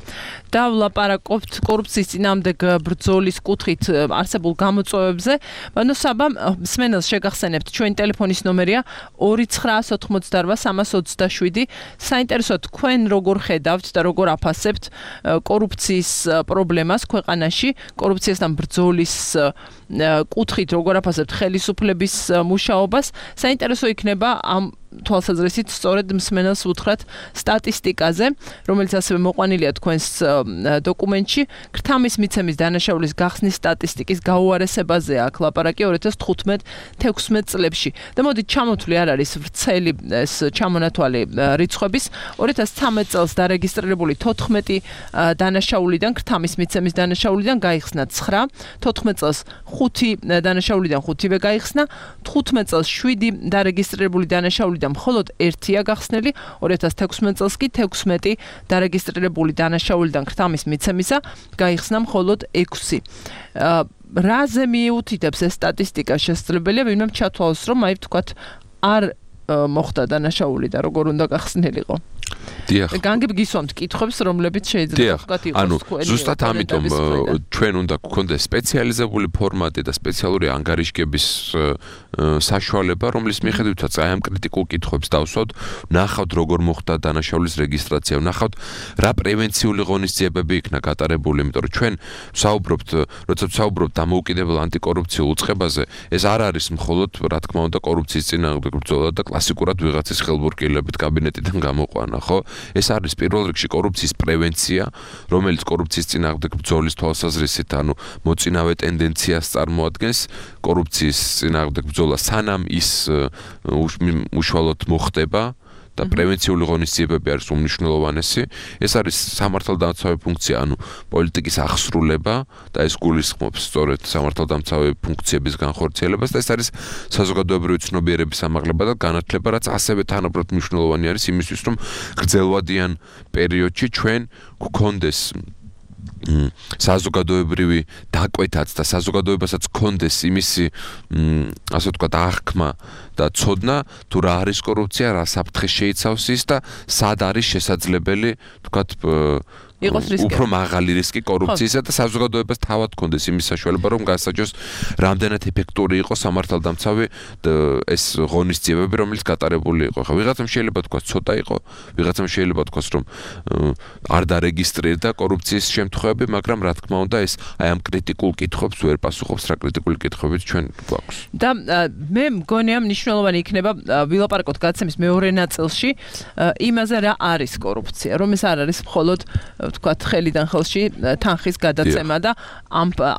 Speaker 3: და ვლაპარაკობთ კორუფციის წინააღმდეგ ბრძოლის კუთხით არსებულ გამოწვევებზე. ბანო საბა, მსმენელს შეგახსენებთ, ჩვენი ტელეფონის ნომერია 2988327. საინტერესოა თქვენ როგორ ხედავთ და როგორ აფასებთ კორუფციის პრობლემას ქვეყანაში, კორუფციასთან ბრძოლის კუთხით როგორ აფასებთ ხელისუფლების მუშაობას. საინტერესო იქნება ამ თვალსაზრისით სწორედ მსმენელს უთხრათ სტატისტიკაზე, რომელიც ასევე მოყვანილია თქვენს დოკუმენტში, ქრთამის მიცემის დანაშაულის გახსნის სტატისტიკის გაუარესებაზე აქ ლაპარაკი 2015-16 წლებში. და მოდით ჩამოთვლი არ არის ვრცელი ეს ჩამონათვალი რიცხვების 2013 წელს დარეგისტრირებული 14 დანაშაულიდან, ქრთამის მიცემის დანაშაულიდან გაიხსნა 9, 14 წელს 5 დანაშაულიდან 5-ვე გაიხსნა, 15 წელს 7 დარეგისტრირებული დანაშაულიდან მხოლოდ 1-ია გახსნილი, 2016 წელს კი 16 დარეგისტრირებული დანაშაულიდან ქრთამის მიცემისა გაიხსნა მხოლოდ 6. რაზე მიუთითებს ეს სტატისტიკა? შესაძლებელია ვინმე ჩათვალოს, რომ აი ვთქვათ არ მოხდა დანაშაული და როგორ უნდა გახსნილიყო. განგებ გისვამთ კითხვებს, რომლებიც შეიძლება ვთქვათ იყოს თქვენი.
Speaker 5: ზუსტად ამიტომ ჩვენ უნდა გქონდეს სპეციალიზებული ფორმატი და სპეციალური ანგარიშგების საშუალება, რომლის მიხედვითაც აი ამ კრიტიკულ კითხვებს დავსვათ, ნახავთ როგორ მოხდა დანაშაულის რეგისტრაცია, ნახავთ რა პრევენციული ღონისძიებები იქნა გატარებული, იმიტომ რომ ჩვენ როცა ვსაუბრობთ დამოუკიდებელ ანტიკორუფციულ უწყებაზე, ეს არ არის მხოლოდ რა თქმა უნდა კორუფციის წინააღმდეგ ბრძოლა და კლასიკურად ვიღაცის ხელბურკილებით კაბინეტიდან გამოყვანა, ხო? ეს არის პირველ რიგში კორუფციის პრევენცია, რომელიც კორუფციის წინააღმდეგ ბრძოლის თვალსაზრისით, ანუ მოწინავე ტენდენციას წარმოადგენს, კორუფციის წინააღმდეგ ბრძოლა სანამ ის უშუალოდ მოხდება და პრევენციული ღონისძიებები არის უმნიშვნელოვანესი. ეს არის სამართალდამცავი ფუნქცია, ანუ პოლიტიკის აღსრულება და ეს გულისხმობს სწორედ სამართალდამცავი ფუნქციების განხორციელებას და ეს არის საზოგადოებრივი ცნობიერების ამაღლება და განათლება, რაც ასევე თანაბრად მნიშვნელოვანი არის იმისთვის, რომ გრძელვადიან პერიოდში ჩვენ გქონდეს საზოგადოებრივი დაკვეთაც და საზოგადოებასაც გქონდეს იმისი ასე ვთქვათ აღქმა და ცოდნა თუ რა არის კორუფცია, რა საფრთხე შეიცავს ის და სად არის შესაძლებელი ვთქვათ
Speaker 3: იყოს რისკი.
Speaker 5: უფრო მაღალი რისკი კორუფციისა და საზოგადოებას თავად კონდეს იმის საშუალება, რომ გასაჯოს რამდენად ეფექტური იყო სამართალდამცავი ეს ღონისძიებები, რომელიც გატარებული იყო. ხა ვიღაცამ შეიძლება თქვას ცოტა იყო, ვიღაცამ შეიძლება თქვას რომ არ დარეგისტრირდა კორუფციის შემთხვევები, მაგრამ რა თქმა უნდა ეს აი ამ კრიტიკულ კითხვებს ვერ პასუხობს, რა კრიტიკული კითხვებიც ჩვენ გვაქვს.
Speaker 3: და მე მგონია მნიშვნელოვანი იქნება ვილაპარაკოთ გაცემის მეორე ნაწილში იმაზე რა არის კორუფცია, რომ ეს არ არის მხოლოდ ვთქვათ ხელიდან ხელში თანხის გადაცემა და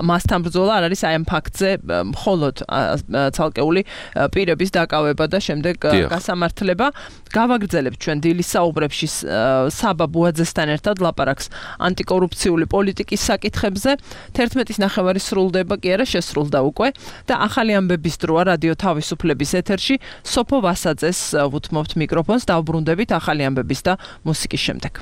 Speaker 3: მასთან ბრძოლა არ არის აი ამ ფაქტზე მხოლოდ ცალკეული პირების დაკავება და შემდეგ გასამართლება. გავაგრძელებთ ჩვენ დილის საუბრებში საბა ბუაძესთან ერთად ლაპარაკს ანტიკორუფციული პოლიტიკის საკითხებზე. 11-ის ნახევარი სრულდება კი არა შესრულდა უკვე და ახალი ამბების დროა რადიო თავისუფლების ეთერში სოფო ვასაძეს ვუთმობთ მიკროფონს დავბრუნდებით ახალი ამბების და მუსიკის შემდეგ.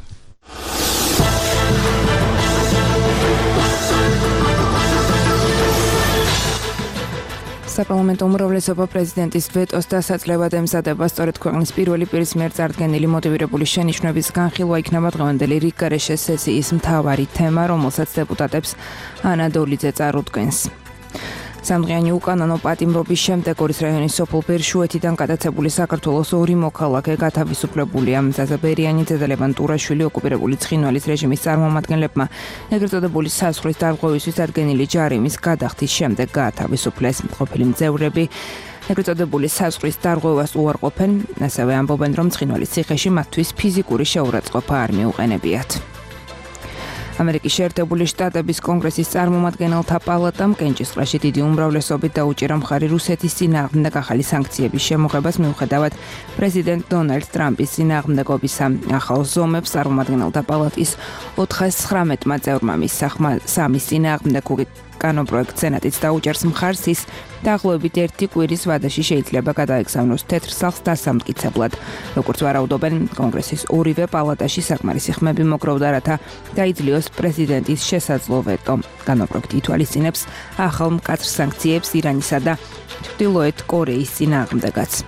Speaker 2: საპარლამენტო უმრავლესობა პრეზიდენტის ვეტოს დასაძლევად ემზადება. სწორედ ქვეყნის პირველი პირის მიერ წარდგენილი მოტივირებული შენიშვნების განხილვა იქნება დღევანდელი რიგგარეშე სესიის მთავარი თემა, რომელსაც დეპუტატებს ანა დოლიძე წარუდგენს. სამდღიანი უკანონო პატიმრობის შემდეგ ორის რაიონის სოფელ ბერშუეთიდან გადაცებული საქართველოს ორი მოქალაქე გათავისუფლებულია. ზაზა ბერიანი, ზედა ლევან ტურაშვილი ოკუპირებული ცხინვალის რეჟიმის წარმომადგენლებმა ეგრეთ წოდებული საზღვრის დარღვევისთვის დადგენილი ჯარიმის გადახდის შემდეგ გაათავისუფლეს. ყოფილი მძევრები ეგრეთ წოდებული საზღვრის დარღვევას უარყოფენ, ასევე ამბობენ, რომ ცხინვალის ციხეში მათთვის ფიზიკური შეურაცხყოფა არ მიუყენებიათ. ამერიკის შეერთებული შტატების კონგრესის წარმომადგენელთა პალატამ კენჭისყრაში დიდი უმრავლესობით დაუჭირა მხარი რუსეთის წინააღმდეგ ახალი სანქციების შემოღებას მიუხედავად პრეზიდენტ დონალდ ტრამპის წინააღმდეგობისა. ახალ ზომებს წარმომადგენელთა პალატის 419 წევრმა მისახმა სამის წინააღმდეგ კანონპროექტ სენატიც დაუჭერს მხარს ის დაახლოებით 1 კვირის ვადაში შეიძლება გადაეგზავნოს თეთრ სახლს დასამტკიცებლად. როგორც ვარაუდობენ, კონგრესის ორივე პალატაში საკმარისი ხმები მოგროვდა, რათა დაიძლიოს პრეზიდენტის შესაძლო ვეტო. კანონპროექტი ითვალისწინებს ახალ მკაცრ სანქციებს ირანისა და ჩრდილოეთ კორეის წინააღმდეგაც.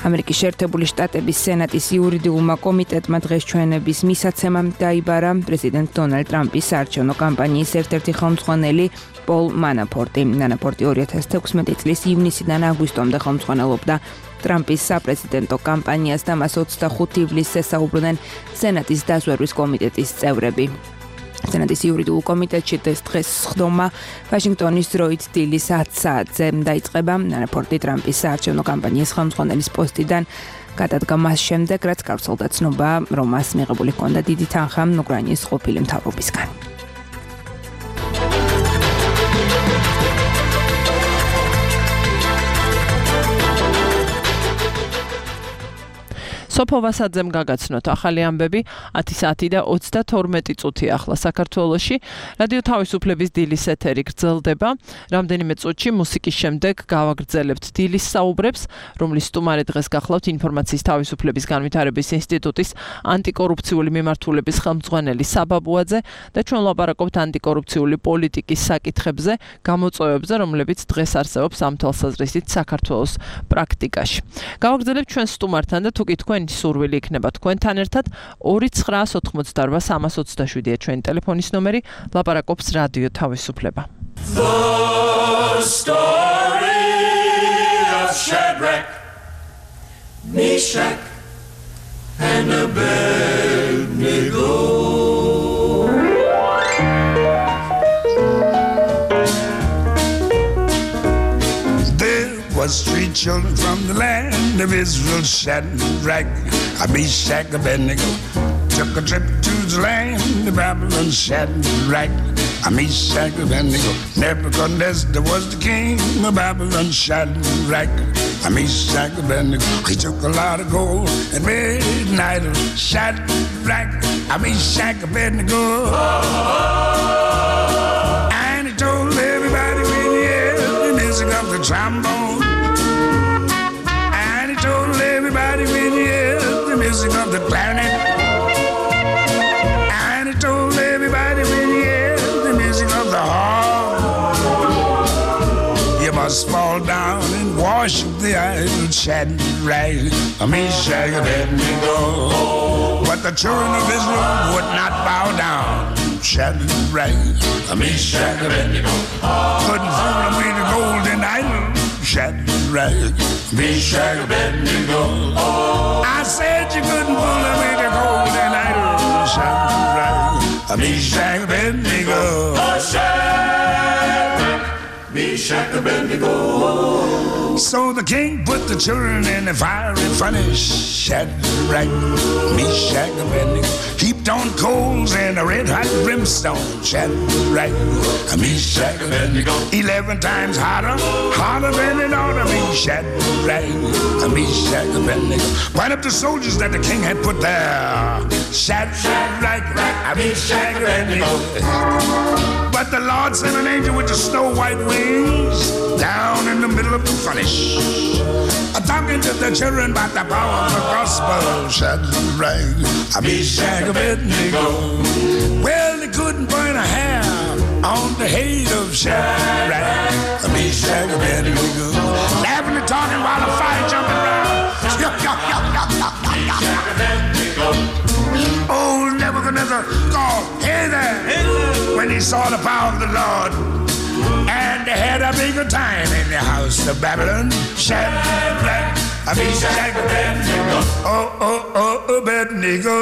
Speaker 2: ამერიკის შეერთებული შტატების სენატის იურიდიულმა კომიტეტმა დღეს ჩვენების მისაცემამ დაიბარა პრეზიდენტ დონალდ ტრამპის საარჩევნო კამპანიის ერთ-ერთი ხელმძღვანელი პოლ მანაფორტი. მანაფორტი 2016 წლის ივნისიდან აგვისტომდე ხელმძღვანელობდა ტრამპის საპრეზიდენტო კამპანიას და მას 25 ივლისს ესაუბრნენ სენატის დაზვერვის კომიტეტის წევრები. სენატის იურიდიულ კომიტეტში დღეს სხდომა ვაშინგტონის დროით დილის 10 საათზე დაიწყება. მანაფორტი ტრამპის საარჩევნო კამპანიის ხელმძღვანელის პოსტიდან გადადგა მას შემდეგ, რაც გავრცელდა ცნობა, რომ მას მიღებული ჰქონდა დიდი თანხა უკრაინის ყოფილი მთავრობისგან.
Speaker 3: სოფო ვასაძემ გაგაცნოთ ახალი ამბები 10 საათი და 32 წუთი ახლა საქართველოში. რადიო თავისუფლების დილის ეთერი გრძელდება. რამდენიმე წუთში მუსიკის შემდეგ გავაგრძელებთ დილის საუბრებს, რომლის სტუმარი დღეს გახლავთ ინფორმაციის თავისუფლების განვითარების ინსტიტუტის ანტიკორუფციული მიმართულების ხელმძღვანელი საბა ბუაძე და ჩვენ ვლაპარაკობთ ანტიკორუფციული პოლიტიკის საკითხებზე, გამოწვევებზე, რომლებიც დღეს არსებობს ამ თვალსაზრისით საქართველოს პრაქტიკაში. გავაგრძელებთ ჩვენ სტუმართან და თუკი თქვენ სურვილი იქნება თქვენთან ერთად 2988-327-ია ჩვენი ტელეფონის ნომერი, ლაპარაკობს რადიო თავისუფლება.
Speaker 6: The story of Shadrach, Meshach and Abednego. Was 3 children from the land of Israel, Shadrach, Meshach, Abednego, took a trip to the land of Babylon, Shadrach, Meshach, Abednego. Nebuchadnezzar was the king of Babylon, Shadrach, Meshach, Abednego. He took a lot of gold and made an idol, Shadrach, Meshach, Abednego. And he told everybody when he heard the music of the trombone. Everybody when you hear the music of the clarinet, and he told everybody when you hear the music of the harp, you must fall down and worship the idol Shadrach, Meshach, Abednego. But but the children of Israel would not bow down. Shadrach, Meshach, and Abednego couldn't fool them with the golden idol. Shadrach, Meshach, and Abednego. I said you couldn't fool them with the golden idol. Shadrach, Meshach, and Abednego. Shadrach, Meshach, and Abednego. So the king put the children in the fiery furnace. Shadrach, Meshach, and Abednego heaped on coals and a red hot brimstone. Shadrach, Meshach, and Abednego 11 times hotter than it ought to be. Shadrach, Meshach, and Abednego point up the soldiers that the king had put there. Shadrach, Meshach, and Abednego. But the Lord sent an angel with the snow white wings down in the middle of the furnace, talking to the children about the power of the gospel. Shadrach, Meshach, and Abednego. Well, they couldn't burn a hair on the head of Shadrach, Meshach, and Abednego. Laughing and talking while the fire jumping around. Old Nebuchadnezzar called, "Hey there!" when he saw the power of the Lord. And they had a bigger time in the house of Babylon. Shadrach, Meshach, and Abednego. Abednego.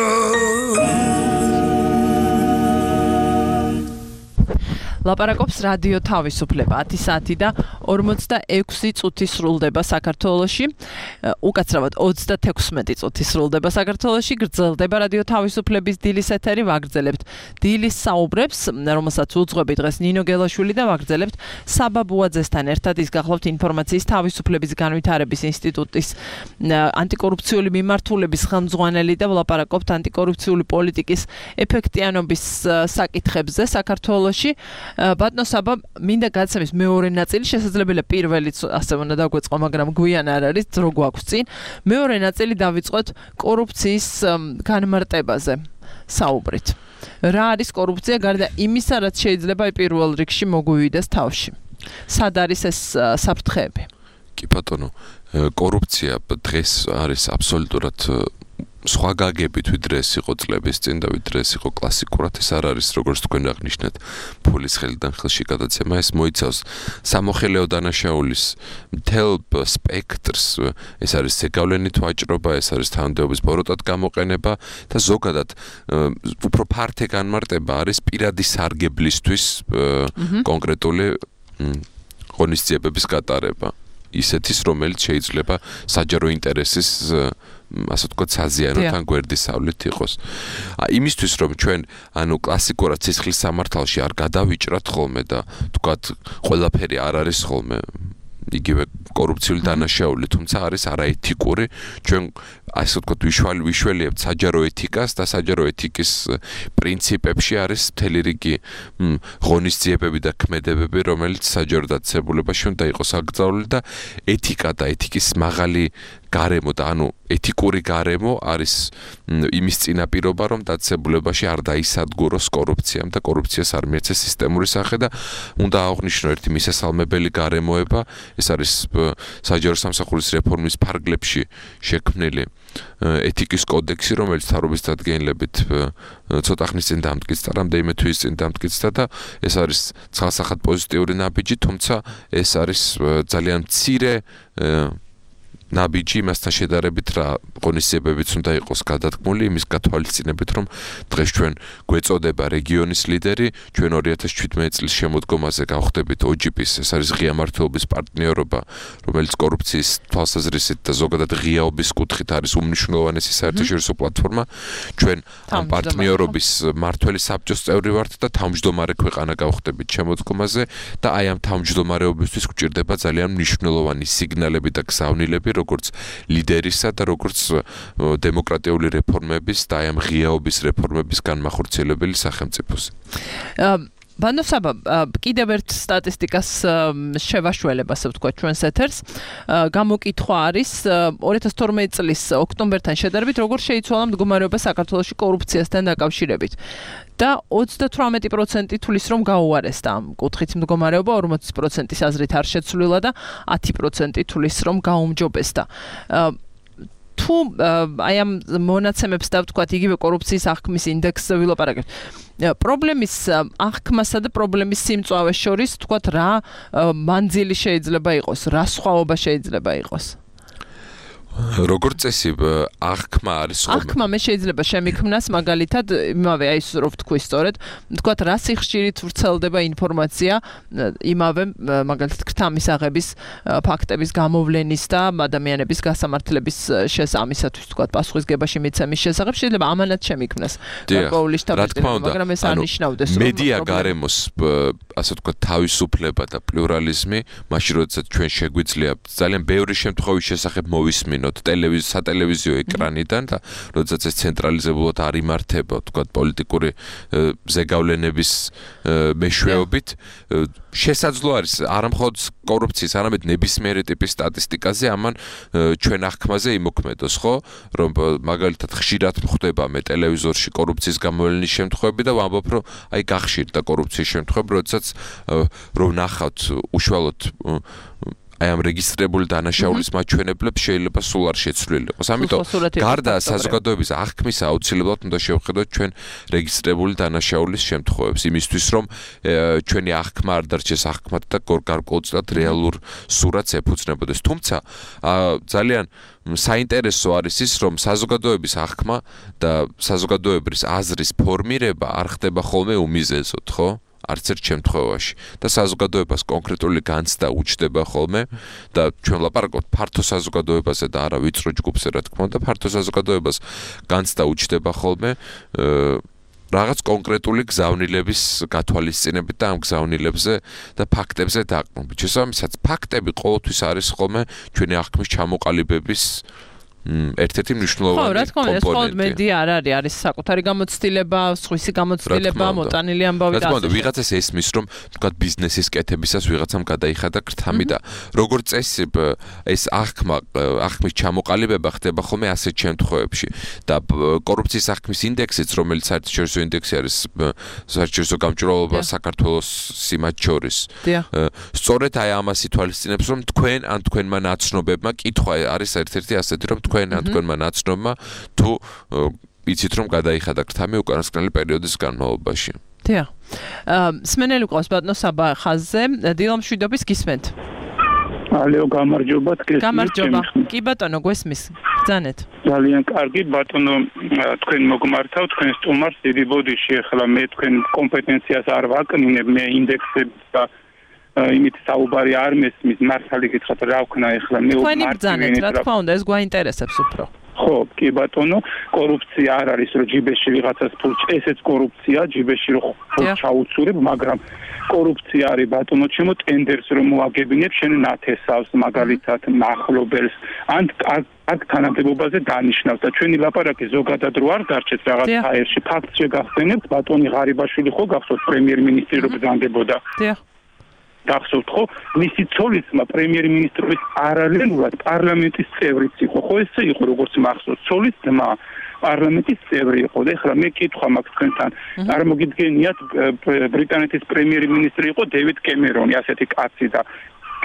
Speaker 3: ლაპარაკობს რადიო თავისუფლება 10 საათი და 46 წუთი სრულდება საქართველოში. უკაცრავად 36 წუთი სრულდება საქართველოში. გრძელდება რადიო თავისუფლების დილის ეთერი. ვაგრძელებთ დილის საუბრებს, რომელსაც უძღვები დღეს ნინო გელაშვილი და ვაგრძელებთ საბა ბუაძესთან ერთად. ის გახლავთ ინფორმაციის თავისუფლების განვითარების ინსტიტუტის ანტიკორუფციული მიმართულების ხელმძღვანელი და ვლაპარაკობთ ანტიკორუფციული პოლიტიკის ეფექტიანობის საკითხებზე საქართველოში. ბატონო საბა, მინდა გაცემის მეორე ნაწილი, შესაძლებელია პირველიც ასე უნდა დაგვეწყო, მაგრამ გვიან არ არის, დრო გვაქვს წინ. მეორე ნაწილი დავიწყოთ კორუფციის განმარტებაზე საუბრით. რა არის კორუფცია გარდა იმისა, რაც შეიძლება პირველ რიგში მოგვივიდეს თავში? სად არის ეს საფრთხეები?
Speaker 5: კი ბატონო, კორუფცია დღეს არის აბსოლუტურად სხვა გაგებით ვიდრე ეს იყო წლების წინ და ვიდრე ეს იყო კლასიკურად. ეს არ არის, როგორც თქვენ აღნიშნეთ, ფულის ხელიდან ხელში გადაცემა. ეს მოიცავს სამოხელეო დანაშაულის მთელ სპექტრს. ეს არის ზეგავლენით ვაჭრობა, ეს არის თანამდებობის ბოროტად გამოყენება და ზოგადად უფრო ფართე განმარტება არის პირადი სარგებლისთვის კონკრეტული ღონისძიებების გატარება. ისეთის, რომელიც შეიძლება საჯარო ინტერესის ასე ვთქვათ, საზიანოთ ან გვერდისავლით იყოს. იმისთვის, რომ ჩვენ კლასიკურად სისხლის სამართალში არ გადავიჭრათ ხოლმე და ვთქვათ, ყველაფერი არ არის ხოლმე იგივე კორუფციული დანაშაული, თუმცა არის არაეთიკური, ჩვენ ასე ვთქვათ, ვიშველიებთ საჯარო ეთიკას და საჯარო ეთიკის პრინციპებში არის მთელი რიგი ღონისძიებები და ქმედებები, რომელიც საჯარო დაწესებულებაში უნდა იყოს აკრძალული და ეთიკა და ეთიკის მაღალი გარემო და ეთიკური გარემო არის იმის წინაპირობა, რომ დაწესებულებაში არ დაისადგუროს კორუფციამ და კორუფციას არ მიეცეს სისტემური სახე და უნდა აღვნიშნო ერთი მისასალმებელი გარემოება, ეს არის საჯარო სამსახურის რეფორმის ფარგლებში შექმნილი ეთიკის კოდექსი, რომელიც თავრობის დადგენილებით ცოტა ხნის წინ დამტკიცდა, რამდენიმე თვის წინ დამტკიცდა და ეს არის ცალსახად პოზიტიური ნაბიჯი, თუმცა ეს არის ძალიან მცირე ნაბიჯი იმასთან შედარებით, რა ღონისძიებებიც უნდა იყოს გადადგმული, იმის გათვალისწინებით, რომ დღეს ჩვენ გვეწოდება რეგიონის ლიდერი, ჩვენ 2017 წლის შემოდგომაზე გავხდებით OGP-ს, ეს არის ღია მმართველობის პარტნიორობა, რომელიც კორუფციის თვალსაზრისით და ზოგადად ღიაობის კუთხით არის უმნიშვნელოვანესი საერთაშორისო პლატფორმა. ჩვენ ამ პარტნიორობის მმართველი საბჭოს წევრი ვართ და თავმჯდომარე ქვეყანა გავხდებით შემოდგომაზე და აი ამ თავმჯდომარეობისთვის გვჭირდება ძალიან მნიშვნელოვანი სიგნალები და გზავნილები, როგორც ლიდერისა და როგორც დემოკრატიული რეფორმების და ამ ღიაობის რეფორმების განმახორციელებელი სახელმწიფოს.
Speaker 3: ბანო საბა, კიდევ ერთ სტატისტიკას შევაშველებ, ასე ვთქვათ, ჩვენს ეთერს. გამოკითხვა არის 2012 წლის ოქტომბერთან შედარებით, როგორ შეიცვალა მდგომარეობა საქართველოში კორუფციასთან დაკავშირებით. და 38% თulis რომ გაუარესდა ამ კუთხით მდგომარეობა, 40%-ის აზრით არ შეცვლილა და 10% თulis რომ გაუმჯობესდა. თუ აი ამ მონაცემებს დავთქვათ იგივე კორუფციის აღქმის ინდექსზე ვილაპარაკებთ. პრობლემის აღქმასა და პრობლემის სიმწვავეს შორის თქვათ რა მანძილი შეიძლება იყოს, რა სხვაობა შეიძლება იყოს?
Speaker 5: როგორც წესი აღქმა არის ხოლმე.
Speaker 3: აღქმა მე შეიძლება შემიქმნას მაგალითად იმავე აი ეს რო ვთქვი სწორედ, თქვათ რა სიხშირით ვრცელდება ინფორმაცია იმავე მაგალითად ქრთამის აღების ფაქტების გამოვლენის და ადამიანების გასამართლების შესამისათვის თქვათ პასუხისგებაში მიცემის შესახებ შეიძლება ამანაც შემიქმნას გარკვეული შტაბ-ბიძინება, მაგრამ ეს არ ნიშნავდეს რომ
Speaker 5: მედია გარემოს ასე ვთქვათ თავისუფლება და პლურალიზმი, მაშინ როდესაც ჩვენ შეგვიძლია ძალიან ბევრი შემთხვევის შესახებ მოვისმინოთ სატელევიზიო ეკრანიდან და როდესაც ეს ცენტრალიზებულად არ იმართება, თქვათ პოლიტიკური ზეგავლენების მეშვეობით, შესაძლო არის არა მხოლოდ კორუფციის, არამედ ნებისმიერი ტიპის სტატისტიკაზე ამან ჩვენ აღქმაზე იმოქმედოს, ხო? რომ მაგალითად ხშირად ხდება მე ტელევიზორში კორუფციის გამოვლენის შემთხვევები და ვამბობ, რომ აი გახშირდა კორუფციის შემთხვევები, როდესაც რომ ნახავთ უშუალოდ აი ამ რეგისტრირებული დანაშაულის მაჩვენებლებს შეიძლება სულ არ შეცვლილიყოს. ამიტომ გარდა საზოგადოების აღქმისა აუცილებლად უნდა შევხედოთ ჩვენ რეგისტრირებული დანაშაულის შემთხვევებს იმისთვის რომ ჩვენი აღქმა არ დარჩეს აღქმად და გარკვეულწილად რეალურ სურათს ეფუძნებოდეს. თუმცა ძალიან საინტერესო არის ის რომ საზოგადოების აღქმა და საზოგადოების აზრის ფორმირება არ ხდება ხოლმე უმიზეზოდ, ხო? არც ერთ შემთხვევაში და საზოგადოებას კონკრეტული განცდა უჩნდება ხოლმე და ჩვენ ვლაპარაკობთ ფართო საზოგადოებაზე და არა ვიწრო ჯგუფზე რა თქმა უნდა ფართო საზოგადოებას განცდა უჩნდება ხოლმე რაღაც კონკრეტული გზავნილების გათვალისწინებით და ამ გზავნილებზე და ფაქტებზე დაყრდნობით. შესაბამისად ფაქტები ყოველთვის არის ხოლმე ჩვენი აღქმის ჩამოყალიბების ერთ-ერთი მნიშვნელოვანი
Speaker 3: ხო, რა თქმა უნდა, ეს მხოლოდ მედია არ არის, არის საკუთარი გამოცდილება, სხვისი გამოცდილება, მოტანილი ამბავი და
Speaker 5: რა თქმა უნდა, ვიღაცას ესმის, რომ თქვა ბიზნესის კეთებისას ვიღაცამ გადაიხადა ქრთამი და როგორც წესი ეს აღქმის ჩამოყალიბება ხდება ხოლმე ასეთ შემთხვევებში და კორუფციის აღქმის ინდექსიც, რომელიც საერთაშორისო ინდექსი არის საერთაშორისო გამჭვირვალობა საქართველოსი მათ შორის. სწორედ აი ამას ითვალისწინებს, რომ თქვენ ან თქვენმა ნაცნობებმა კითხვა არის ერთ-ერთი ასეთი, რომ თქვენ ან თქვენმა ნაცნობმა თუ იცით რომ გადაიხადა ქრთამი უკანასკნელი პერიოდის განმავლობაში.
Speaker 3: დიახ. სმენელი ყავს ბატონო საბა ხაზზე, დილამშვიდობის გისმენთ.
Speaker 7: ალეო გამარჯობა თქვენ.
Speaker 3: გამარჯობა. კი ბატონო გვესმის. ბრძანეთ.
Speaker 7: ძალიან კარგი ბატონო თქვენ მოგმართავ თქვენ სტუმარს დიდი ბოდიში ახლა მე თქვენ კომპეტენციას არ ვაკნინებ მე ინდექსებს და იმით საუბარი არ მესმის მართალი გითხრათ რა ვქნა ახლა მე
Speaker 3: თქვენი ბრძანეთ რა თქმა უნდა ეს გვაინტერესებს უფრო
Speaker 7: ხო კი ბატონო კორუფცია არ არის რომ ჯიბეში ვიღაცას ფულს ესეც კორუფცია ჯიბეში რომ ფულს ჩაუცურებ მაგრამ კორუფცია არის ბატონო ჩემო ტენდერს რომ მოაგებინებ შენ ნათესავს მაგალითად მახლობელს ან აქ თანამდებობაზე დანიშნავს და ჩვენი ლაპარაკი ზოგადად რო არ დარჩეთ რაღაც აერში ფაქტს შეგახსენებთ ბატონი ღარიბაშვილი ხო გახსოვთ პრემიერ-მინისტრი რო ბრძანდებოდა
Speaker 3: დიახ
Speaker 7: გახსოვთ ხო მისი ცოლისმა პრემიერ-მინისტრის პარალელურად პარლამენტის წევრიც იყო ხო ესე იყო როგორც მახსოვს ცოლის ძმა პარლამენტის წევრი იყო და ეხლა მე კითხვა მაქვს თქვენთან არ მოგიდგენიათ ბრიტანეთის პრემიერ-მინისტრი იყო დევიდ კემერონი ასეთი კაცი და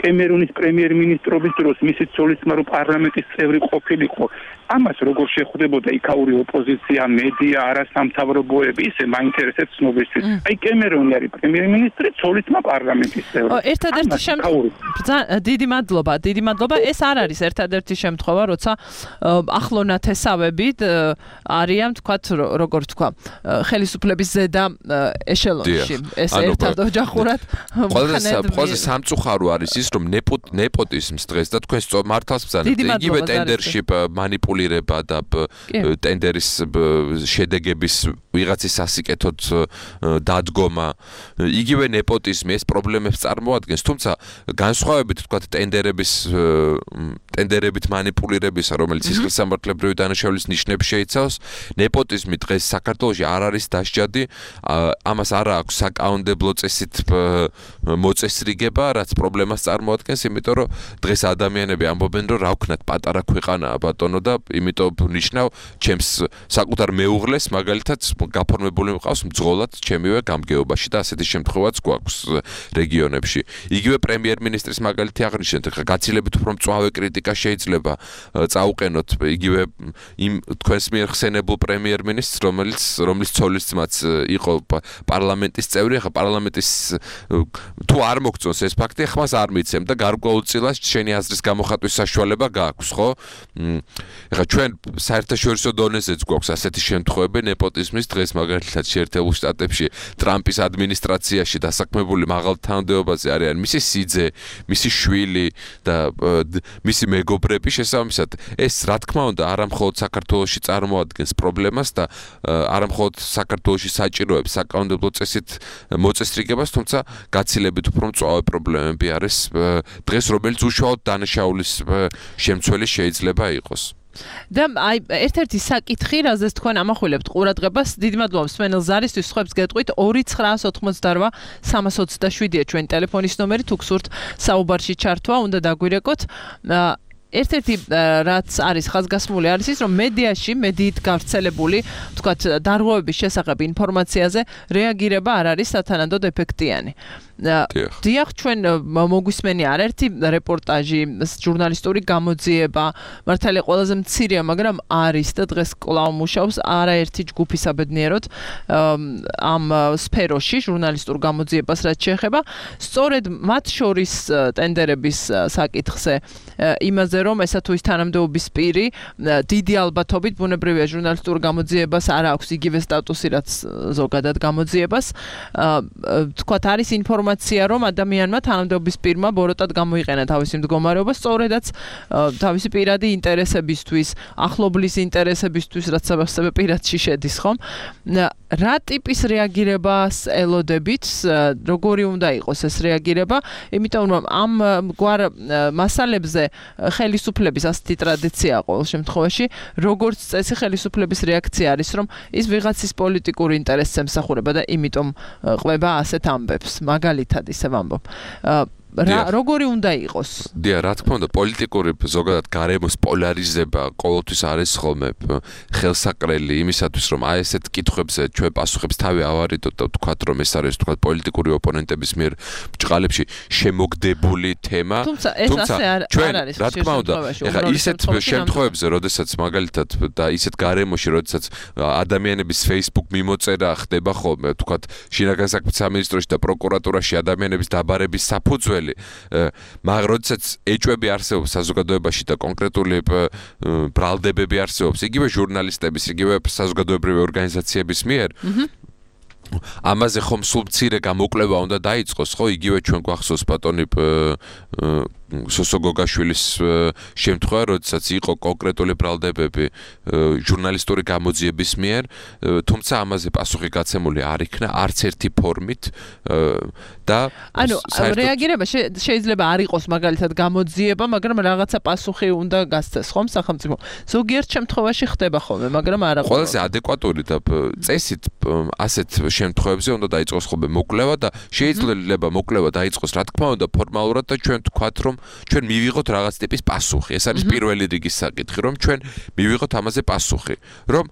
Speaker 7: კემერონის პრემიერ-მინისტრობის დროს მისი ცოლისმა რო პარლამენტის წევრი ყოფილიყო ამას როგორ შეხვდებოდა იქაური ოპოზიცია მედია არასამთავრობოები ისე მაინტერესებს ცნობისთვის აი კემერონი არის პრემიერ-მინისტრი ცოლისმა პარლამენტის წევრი
Speaker 3: ერთადერთი დიდი მადლობა ეს არ არის ერთადერთი შემთხვევა როცა ახლონათესავები არიან თქვათ როგორ თქვა ხელისუფლების ზედა ეშელონში ეს ერთად ოჯახურად
Speaker 5: ყველაზე სამწუხარო არის ის რომ ნეპოტიზმს დღეს და თქვენ მართავს ბრძანებთ იგივე ტენდერში მანიპულირება და ტენდერის შედეგების ვიღაცის სასიკეთოდ დადგომა იგივე ნეპოტიზმი ეს პრობლემებს წარმოადგენს თუმცა განსხვავებით თქვა ტენდერებით მანიპულირებისა რომელიც სისხლისამართლებრივი დანაშაულის ნიშნებს შეიცავს ნეპოტიზმი დღეს საქართველოში არ არის დასჯადი ამას არ აქვს საკანონმდებლო წესით მოწესრიგება რაც პრობლემას წარმოადგენს იმიტომ რომ დღეს ადამიანები ამბობენ რომ რა ვქნათ პატარა ქვეყანაა ბატონო და იმიტომ ნიშნავ ჩემს საკუთარ მეუღლეს მაგალითად გაფორმებული მყავს მძღოლად ჩემივე გამგეობაში და ასეთი შემთხვევაც გვაქვს რეგიონებში. იგივე პრემიერ-მინისტრის მაგალითი აღნიშნეთ, ხა გაცილებით უფრო მწვავე კრიტიკა შეიძლება წაუყენოთ იგივე იმ თქვენს მიერ ხსენებულ პრემიერ-მინისტრს, რომლის ცოლის ძმაც იყო პარლამენტის წევრი, ხა პარლამენტის თუ არ მოგწონს ეს ფაქტი, ხმას არ მიცემ და გარკვეულწილად შენი აზრის გამოხატვის საშუალება გააქვს, ხო? ხა ჩვენ საერთაშორისო დონეზეც გვაქვს ასეთი შემთხვევები ნეპოტიზმის დღეს მაგალითად შეერთებულ შტატებში ტრამპის ადმინისტრაციაში დასაქმებული მაღალ თანამდებობაზე არიან მისი სიძე, მისი შვილი და მისი მეგობრები შესაბამისად ეს რა თქმა უნდა არა მხოლოდ საქართველოში წარმოადგენს პრობლემას და არა მხოლოდ საქართველოში საჭიროებს საკანონმდებლო წესით მოწესრიგებას, თუმცა გაცილებით უფრო მწვავე პრობლემები არის დღეს, რომელიც უშუალოდ დანაშაულის შემცველი შეიძლება იყოს.
Speaker 3: და აი ერთ-ერთი საკითხი, რაზეც თქვენ ამახვილებთ ყურადღებას, დიდი მადლობა მსმენელ ზარისთვის, სხვებს გეტყვით 2988 327-ია ჩვენი ტელეფონის ნომერი, თუ გსურთ საუბარში ჩართვა, უნდა დაგვირეკოთ. ერთ-ერთი რაც არის ხაზგასმული არის ის, რომ მედიით გავრცელებული, ვთქვათ, დარღვევების შესახებ ინფორმაციაზე რეაგირება არ არის სათანადოდ ეფექტიანი. დიახ, ჩვენ მოგვისმენია არაერთი რეპორტაჟი, ჟურნალისტური გამოძიება, მართალია ყველაზე მცირეა, მაგრამ არის და დღეს კვლავ მუშაობს არაერთი ჯგუფი საბედნიეროდ ამ სფეროში, ჟურნალისტურ გამოძიებას რაც შეეხება, სწორედ მათ შორის ტენდერების საკითხზე იმაზე, რომ ესა თუ ის თანამდებობის პირი დიდი ალბათობით ბუნებრივია ჟურნალისტურ გამოძიებას არ აქვს იგივე სტატუსი, რაც ზოგადად გამოძიებას. თქვათ არის ინფორმაცია, რომ ადამიანმა თანამდებობის პირმა ბოროტად გამოიყენა თავისი მდგომარეობა, სწორედაც თავისი პირადი ინტერესებისთვის, ახლობლის ინტერესებისთვის, რაც საბასებე პირადში შედის, ხომ? რა ტიპის რეაგირებას ელოდებით, როგორი უნდა იყოს ეს რეაგირება, იმიტომ რომ ამ გვარ მასალებზე ხელისუფლების ასეთი ტრადიცია ყოველ შემთხვევაში, როგორც წესი ხელისუფლების რეაქცია არის, რომ ის ვიღაცის პოლიტიკური ინტერესს ემსახურება და იმიტომ ყვება ასეთ ამბებს. მაგალითად ისე ვამბობ. როგორი უნდა იყოს?
Speaker 5: დიახ, რა თქმა უნდა, პოლიტიკური ზოგადად გარემოს პოლარიზება ყოველთვის არის ხოლმე ხელსაყრელი იმისათვის, რომ აი ესეთ კითხვებზე ჩვენ პასუხებს თავი ავარიდოთ და ვთქვათ, რომ ეს არის ვთქვათ პოლიტიკური ოპონენტების მიერ ბჭყალებში შემოგდებული თემა.
Speaker 3: თუმცა ეს ასე არ არის.
Speaker 5: რა თქმა უნდა, ეხლა ისეთ შემთხვევებზე, როდესაც მაგალითად და ისეთ გარემოში, როდესაც ადამიანების Facebook მიმოწერა ხდება ხოლმე, ვთქვათ, შინაგან საქმეთა სამინისტროში და პროკურატურაში ადამიანების დაბარების საფუძველი მაგრამ როდესაც ეჭვები არსებობს საზოგადოებაში და კონკრეტული ბრალდებები არსებობს იგივე ჟურნალისტების, იგივე საზოგადოებრივი ორგანიზაციების მიერ ამაზე ხომ სულ მცირე გამოკვლევა უნდა დაიწყოს, ხო? იგივე ჩვენ გვახსოვს ბატონი სოსო გოგაშვილის შემთხვევა, როდესაც იყო კონკრეტული ბრალდებები ჟურნალისტური გამოძიების მიერ, თუმცა ამაზე პასუხი გაცემული არ იქნა არც ერთი ფორმით და
Speaker 3: ანუ რეაგირება შეიძლება არ იყოს მაგალითად გამოძიება, მაგრამ რაღაცა პასუხი უნდა გასცეს, ხომ სახელმწიფო. ზოგიერთ შემთხვევაში ხდება ხოლმე, მაგრამ არა
Speaker 5: ყველაზე ადეკვატური და წესით ასეთ შემთხვევებზე უნდა დაიწყოს ხოლმე მოკვლევა და შეიძლება მოკვლევა დაიწყოს რა თქმა უნდა ფორმალურად და ჩვენ ვთქვათ, რომ ჩვენ მივიღოთ რაღაც ტიპის პასუხი. ეს არის პირველი რიგის საკითხი, რომ ჩვენ მივიღოთ ამაზე პასუხი. რომ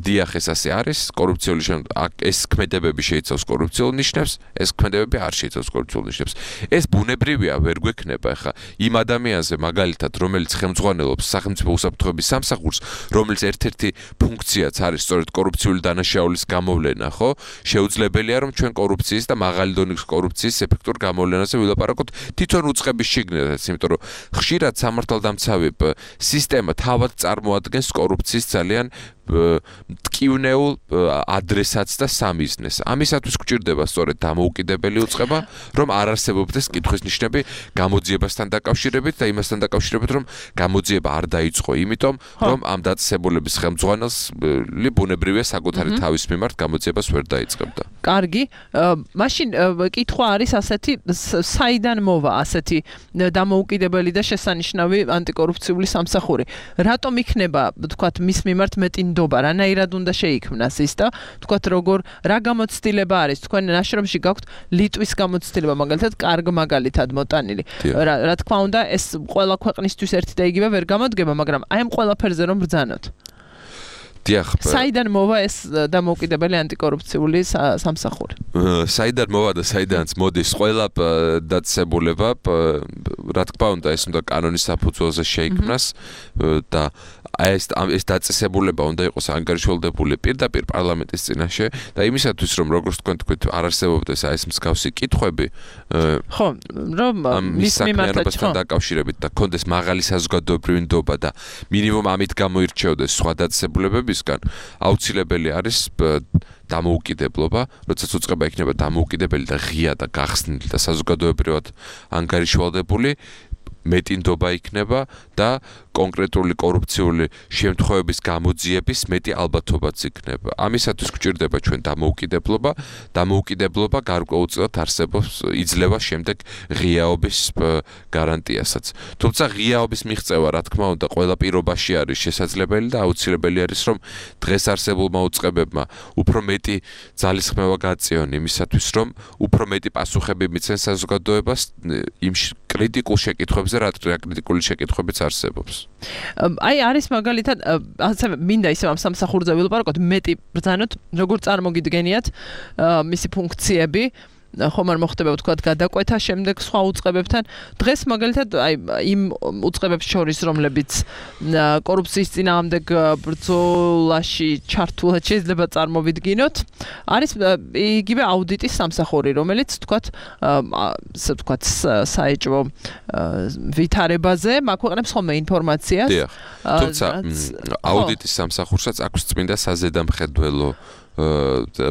Speaker 5: დიახ, ეს ასე არის, კორუფციული ეს ქმედებები შეიცავს კორუფციულ ნიშნებს, ეს ქმედებები არ შეიცავს კორუფციულ ნიშნებს. ეს ბუნებრივია, ვერ გვექნება ახლა იმ ადამიანზე მაგალითად, რომელიც ხელმძღვანელობს სახელმწიფო უსაფრთხოების სამსახურს, რომელიც ერთ-ერთი ფუნქციაც არის სწორედ კორუფციული დანაშაულის გამოვლენა, ხო? შეუძლებელია, რომ ჩვენ კორუფციის და მაღალი დონის კორუფციის ეფექტურ გამოვლენაზე ვილაპარაკოთ თვითონ უწყების შიგნითაც, იმიტომ რომ ხშირად სამართალდამცავი სისტემა თავად წარმოადგენს კორუფციის ძალიან ტკივნეულ ადრესატს და სამიზნეს. ამისათვის გვჭირდება სწორედ დამოუკიდებელი უწყება, რომ არ არსებობდეს კითხვის ნიშნები გამოძიებასთან დაკავშირებით და იმასთან დაკავშირებით, რომ გამოძიება არ დაიწყო, იმიტომ რომ ამ დაწესებულების ხელმძღვანელი ბუნებრივია საკუთარი თავის მიმართ გამოძიებას ვერ დაიწყებდა.
Speaker 3: კარგი, მაშინ კითხვა არის ასეთი, საიდან მოვა ასეთი დამოუკიდებელი და შესანიშნავი ანტიკორუფციული სამსახური? რატომ იქნება, ვთქვათ, მის მიმართ მეტი რანაირად უნდა უნდა შეიქმნას ის და თქვათ რა გამოცდილება არის თქვენ ნაშრომში გაქვთ ლიტვის გამოცდილება მაგალითად კარგ მაგალითად მოტანილი რა თქმა უნდა ეს ყველა ქვეყნისთვის ერთი და იგივე ვერ გამოდგება მაგრამ აი ამ ყველაფერზე რომ ბრძანოთ საიდან მოვა ეს დამოუკიდებელი ანტიკორუფციული სამსახური?
Speaker 5: საიდან მოვა და საიდანაც მოდის ყველა დაწესებულება, რა თქმა უნდა, ეს უნდა კანონის საფუძველზე შეიქმნას და ეს დაწესებულება უნდა იყოს ანგარიშვალდებული პირდაპირ პარლამენტის წინაშე და იმისათვის რომ როგორც თქვენ თქვით არ არსებობდეს ეს მსგავსი კითხვები
Speaker 3: ხო რომ მის
Speaker 5: მიმართებასთან დაკავშირებით და კონდეს მაღალი საზოგადოებრივი ნდობა და მინიმუმ ამით გამოირჩეოდეს სხვა დაწესებულებებისგან აუცილებელი არის დამოუკიდებლობა, როდესაც უწყება იქნება დამოუკიდებელი და ღია და გახსნილი და საზოგადოებრივად ანგარიშვალდებული მეტი ნდობა იქნება და კონკრეტული კორუფციული შემთხვევების გამოძიების მეტი ალბათობაც იქნება. ამისათვის გვჭირდება ჩვენ დამოუკიდებლობა. დამოუკიდებლობა გარკვეულწილად არსებობს იძლევა შემდეგ ღიაობის გარანტიასაც. თუმცა ღიაობის მიღწევა, რა თქმა უნდა, ყველა პირობაში არის შესაძლებელი და აუცილებელი არის, რომ დღეს არსებულმა უწყებებმა უფრო მეტი ძალისხმევა გაწიონ იმისათვის, რომ უფრო მეტი პასუხები მიცენ საზოგადოებას იმ კრიტიკულ შეკითხვებზე, რა კრიტიკული შეკითხვებიც არსებობს.
Speaker 3: აი არის მაგალითად ასე მინდა ისე ამ სამსახურზე ვილაპარაკოთ მეტი ბრძანოთ როგორ წარმოგიდგენიათ მისი ფუნქციები ხომ არ მოხდება ვთქვათ გადაკვეთა შემდეგ სხვა უწყებებთან დღეს მაგალითად აი იმ უწყებებს შორის რომლებიც კორუფციის წინააღმდეგ ბრძოლაში ჩართულად შეიძლება წარმოვიდგინოთ არის იგივე აუდიტის სამსახური რომელიც ვთქვათ ასე ვთქვათ საეჭვო ვითარებაზე მაგვეყნებს ხოლმე ინფორმაციას
Speaker 5: თუმცა აუდიტის სამსახურსაც აქვს წმინდა საზედამხედველო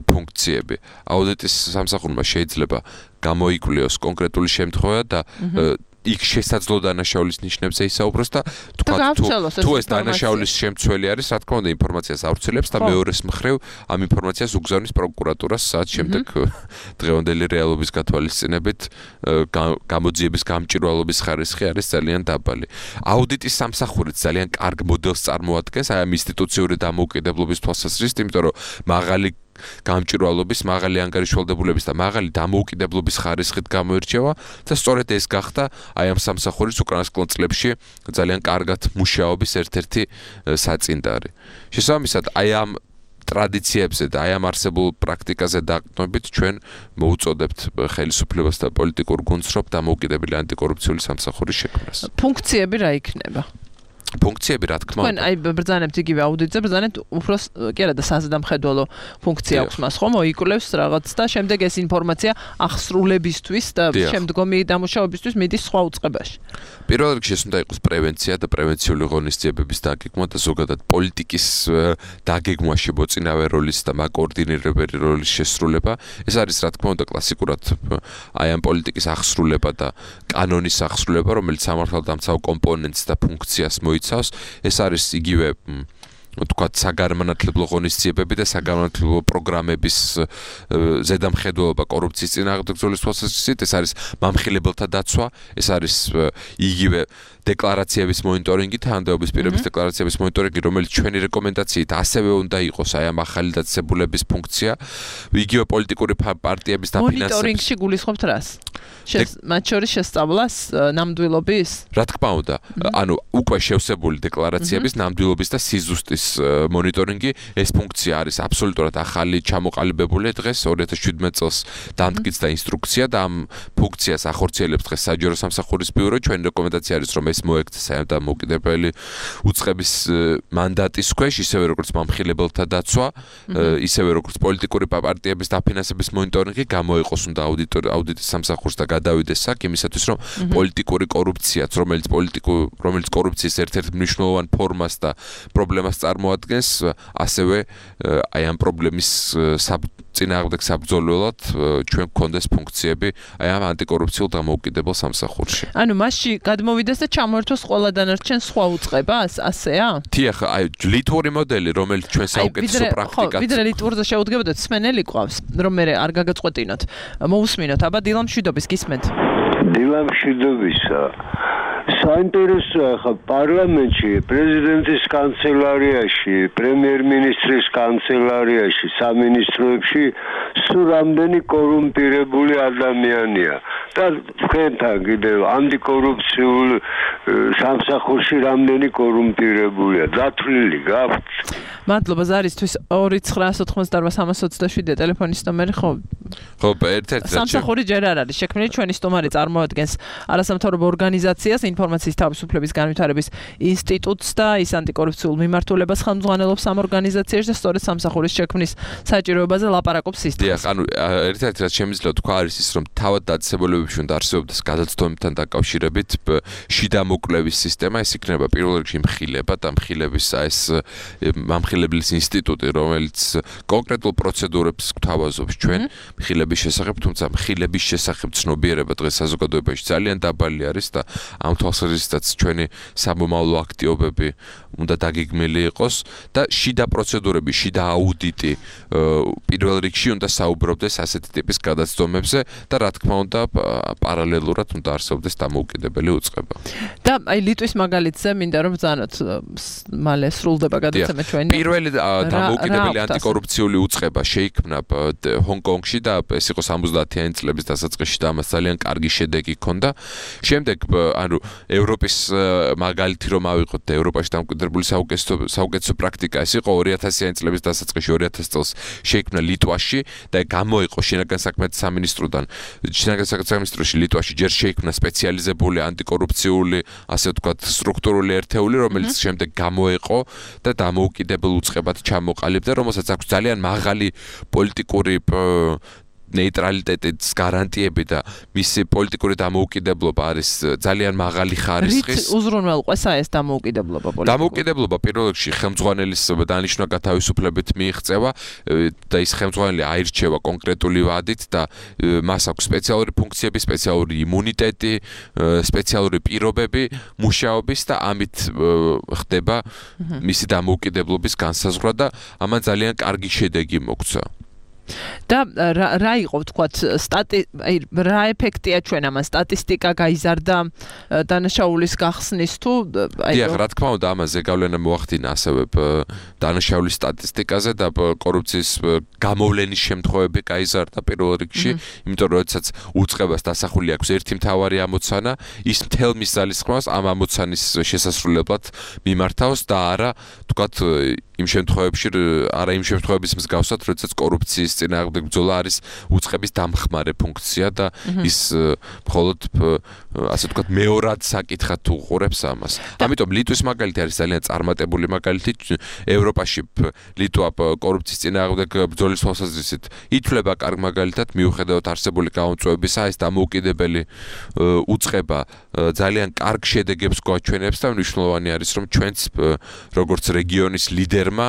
Speaker 5: ფუნქციები. აუდიტის სამსახურმა შეიძლება გამოიკვლიოს კონკრეტული შემთხვევა და იქ შესაძლო დანაშაულის ნიშნებზე ისაუბროს და თუ ეს დანაშაულის შემცველი არის, რა თქმა უნდა, ინფორმაციას ავრცელებს და მეორეს მხრივ ამ ინფორმაციას უგზავნის პროკურატურას საათ შემდეგ დღევანდელი რეალობის გათვალისწინებით გამოძიების გამჭვირვალობის ხარისხი არის ძალიან დაბალი. აუდიტის სამსახურით ძალიან კარგ მოდელს წარმოადგენს აი ამ ინსტიტუციური დამოუკიდებლობის თვალსაზრისით, იმიტომ რომ მაღალი გამჭვირვალობის, მაღალი ანგარიშვალდებულების და მაღალი დამოუკიდებლობის ხარისხით გამოირჩევა და სწორედ ეს გახდა აი ამ სამსახურის უკანასკნელ წლებში ძალიან კარგად მუშაობის ერთ-ერთი საწინდარი. შესაბამისად, აი ამ ტრადიციებზე და აი ამ არსებულ პრაქტიკაზე დაყრდნობით ჩვენ მოუწოდებთ ხელისუფლებას და პოლიტიკურ გუნდს, რომ დამოუკიდებელი ანტიკორუფციული სამსახურის შექმნას.
Speaker 3: ფუნქციები რა იქნება?
Speaker 5: ფუნქციები რა თქმა უნდა.
Speaker 3: თქვენ აი ბრძანებთ იგივე აუდიტზე, ბრძანებთ უფრო კი არა და საზედამხედველო ფუნქცია აქვს მას ხომ, მოიკვლევს რაღაც და შემდეგ ეს ინფორმაცია აღსრულებისთვის და შემდგომი დამუშავებისთვის მიდის სხვა უწყებაში.
Speaker 5: პირველ რიგში ეს უნდა იყოს პრევენცია და პრევენციული ღონისძიებების დაგეგმვა და ზოგადად პოლიტიკის დაგეგმვაში მოწინავე როლის და მაკოორდინირებელი როლის შესრულება. ეს არის რა თქმა უნდა კლასიკურად აი ამ პოლიტიკის აღსრულება და კანონის აღსრულება, რომელიც სამართალდამცავ კომპონენტს და ფუნქციას მოიცავს. ეს არის იგივე თქვათ საგანმანათლებლო ღონისძიებები და საგანმანათლებლო პროგრამების ზედამხედველობა კორუფციის წინააღმდეგ ბრძოლის თვალსაზრისით, ეს არის მამხილებელთა დაცვა, ეს არის იგივე დეკლარაციების მონიტორინგი, თანამდებობის პირების დეკლარაციების მონიტორინგი, რომელიც ჩვენი რეკომენდაციით ასევე უნდა იყოს აი ამ ახალი დაწესებულების ფუნქცია, იგივე პოლიტიკური პარტიების დაფინანსების.
Speaker 3: მონიტორინგში გულისხმობთ რას? მათ შორის შესწავლას ნამდვილობის?
Speaker 5: რა თქმა უნდა, ანუ უკვე შევსებული დეკლარაციების ნამდვილობის და სიზუსტის მონიტორინგი, ეს ფუნქცია არის აბსოლუტურად ახალი, ჩამოყალიბებული დღეს 2017 წელს დამტკიცდა ინსტრუქცია და ამ ფუნქციას ახორციელებს დღეს საჯარო სამსახურის ბიურო. ჩვენი რეკომენდაცია არის, რომ ეს მოექცეს აი ამ დამოუკიდებელი უწყების მანდატის ქვეშ, ისევე როგორც მამხილებელთა დაცვა, ისევე როგორც პოლიტიკური პარტიების დაფინანსების მონიტორინგი გამოიყოს უნდა აუდიტის სამსახურს და გადავიდეს აქ იმისათვის, რომ პოლიტიკური კორუფციაც, რომელიც კორუფციის ერთ-ერთ მნიშვნელოვან ფორმას და პრობლემას წარმოადგენს, ასევე აი ამ პრობლემის წინააღმდეგ საბრძოლველად ჩვენ გქონდეს ფუნქციები აი ამ ანტიკორუფციულ დამოუკიდებელ სამსახურში.
Speaker 3: ანუ მასში გადმოვიდეს და ჩამოერთოს ყველა დანარჩენ სხვა უწყებას, ასეა?
Speaker 5: დიახ, აი ლიტვური მოდელი, რომელიც ჩვენ საუკეთესო პრაქტიკად.
Speaker 3: ვიდრე ლიტვურზე შევუდგებოდეთ, სმენელი ყავს, რომ მე არ გაგაწყვეტინოთ. მოусმინოთ, აბა დილამშვიდობის გისმენთ.
Speaker 8: დილამშვიდობისა. საინტერესოა ხა პარლამენტში, პრეზიდენტის კანცელარიაში, პრემიერ-მინისტრის კანცელარიაში, სამინისტროებში სულ რამდენი კორუმპირებული ადამიანია და თქვენთან კიდევ ანტიკორუფციულ სამსახურში რამდენი კორუმპირებულია დათვლილი გაქვთ?
Speaker 3: მადლობა ზარისთვის 2988327 ტელეფონის ნომერი ხო
Speaker 5: ერთ-ერთი
Speaker 3: სამსახური ჯერ არ არის შექმნილი ჩვენი სტუმარი წარმოადგენს არასამთავრობო ორგანიზაციას ინფორმაციის თავისუფლების განვითარების ინსტიტუტს და ის ანტიკორუფციულ მიმართულებას ხელმძღვანელობს ამ ორგანიზაციაში და სწორედ სამსახურის შექმნის საჭიროებაზე ლაპარაკობს ის.
Speaker 5: დიახ, ანუ ერთ-ერთი რაც შემიძლია თქვა არის ის რომ თავად დაწესებულებებში უნდა არსებობდეს გადაცდომებთან დაკავშირებით შიდა მოკვლევის სისტემა, ეს იქნება პირველ რიგში მხილება და მხილების ეს მამხილებლის ინსტიტუტი, რომელიც კონკრეტულ პროცედურებს გვთავაზობს ჩვენ მხილების შესახებ, თუმცა მხილების შესახებ ცნობიერება დღეს საზოგადოებაში ძალიან დაბალი არის და ამ თვალსაზრისითაც ჩვენი სამომავლო აქტივობები უნდა დაგეგმილი იყოს და შიდა პროცედურები, შიდა აუდიტი პირველ რიგში უნდა საუბრობდეს ასეთი ტიპის გადაცდომებზე და რა თქმა უნდა პარალელურად უნდა არსებობდეს დამოუკიდებელი უწყება.
Speaker 3: და აი ლიტვის მაგალითზე მინდა რომ ბრძანოთ მალე სრულდება გადაცემა ჩვენი.
Speaker 5: პირველი დამოუკიდებელი ანტიკორუფციული უწყება შეიქმნა ჰონკონგში და ეს იყო 70-იანი წლების დასაწყისში და ამას ძალიან კარგი შედეგი ჰქონდა. შემდეგ ანუ ევროპის მაგალითი რომ ავიღოთ და ევროპაში დამკვიდრებული საუკეთესო პრაქტიკა ეს იყო 2000-იანი წლების დასაწყისში 2000 წელს შეიქმნა ლიტვაში და გამოიყო შინაგან საქმეთა სამინისტროდან შინაგან საქმეთა სამინისტროში ლიტვაში ჯერ შეიქმნა სპეციალიზებული ანტიკორუფციული ასე ვთქვათ სტრუქტურული ერთეული რომელიც შემდეგ გამოიყო და დამოუკიდებელ უწყებად ჩამოყალიბდა რომელსაც აქვს ძალიან მაღალი პოლიტიკური ნეიტრალიტეტის გარანტიები და მისი პოლიტიკური დამოუკიდებლობა არის ძალიან მაღალი ხარისხის.
Speaker 3: უზრუნველყვესა ეს დამოუკიდებლობა პოლიტიკური.
Speaker 5: დამოუკიდებლობა პირველ რიგში ხელმძღვანელის დანიშნვა გათავისუფლებით მიიღწევა და ის ხელმძღვანელი აირჩევა კონკრეტული ვადით და მას აქვს სპეციალური ფუნქციები, სპეციალური იმუნიტეტი, სპეციალური პირობები მუშაობის და ამით ხდება მისი დამოუკიდებლობის განსაზღვრა და ამან ძალიან კარგი შედეგი მოგვცა.
Speaker 3: და რა იყო ვთქვათ რა ეფექტია ჩვენ ამან სტატისტიკა გაიზარდა დანაშაულის გახსნის თუ
Speaker 5: დიახ რა თქმა უნდა ამაზე გავლენა მოახდინა ასევე დანაშაულის სტატისტიკაზე და კორუფციის გამოვლენის შემთხვევები გაიზარდა პირველ რიგში იმიტომ რომ როდესაც უწყებას დასახული აქვს ერთი მთავარი ამოცანა ის მთელ მის ძალისხმევას ამ ამოცანის შესასრულებლად მიმართავს და არა ვთქვათ იმ შემთხვევების მსგავსად როდესაც კორუფციის წინააღმდეგ ბრძოლა არის უწყების დამხმარე ფუნქცია და ის მხოლოდ ასე ვთქვათ მეორად საკითხად უყურებს ამას. ამიტომ ლიტვის მაგალითი არის ძალიან წარმატებული მაგალითი. ევროპაში ლიტვა კორუფციის წინააღმდეგ ბრძოლის თვალსაზრისით ითვლება კარგ მაგალითად მიუხედავად არსებული გამომწვევებისა ეს დამოუკიდებელი უწყება ძალიან კარგ შედეგებს გვაჩვენებს და მნიშვნელოვანი არის რომ ჩვენც როგორც რეგიონის ლიდერმა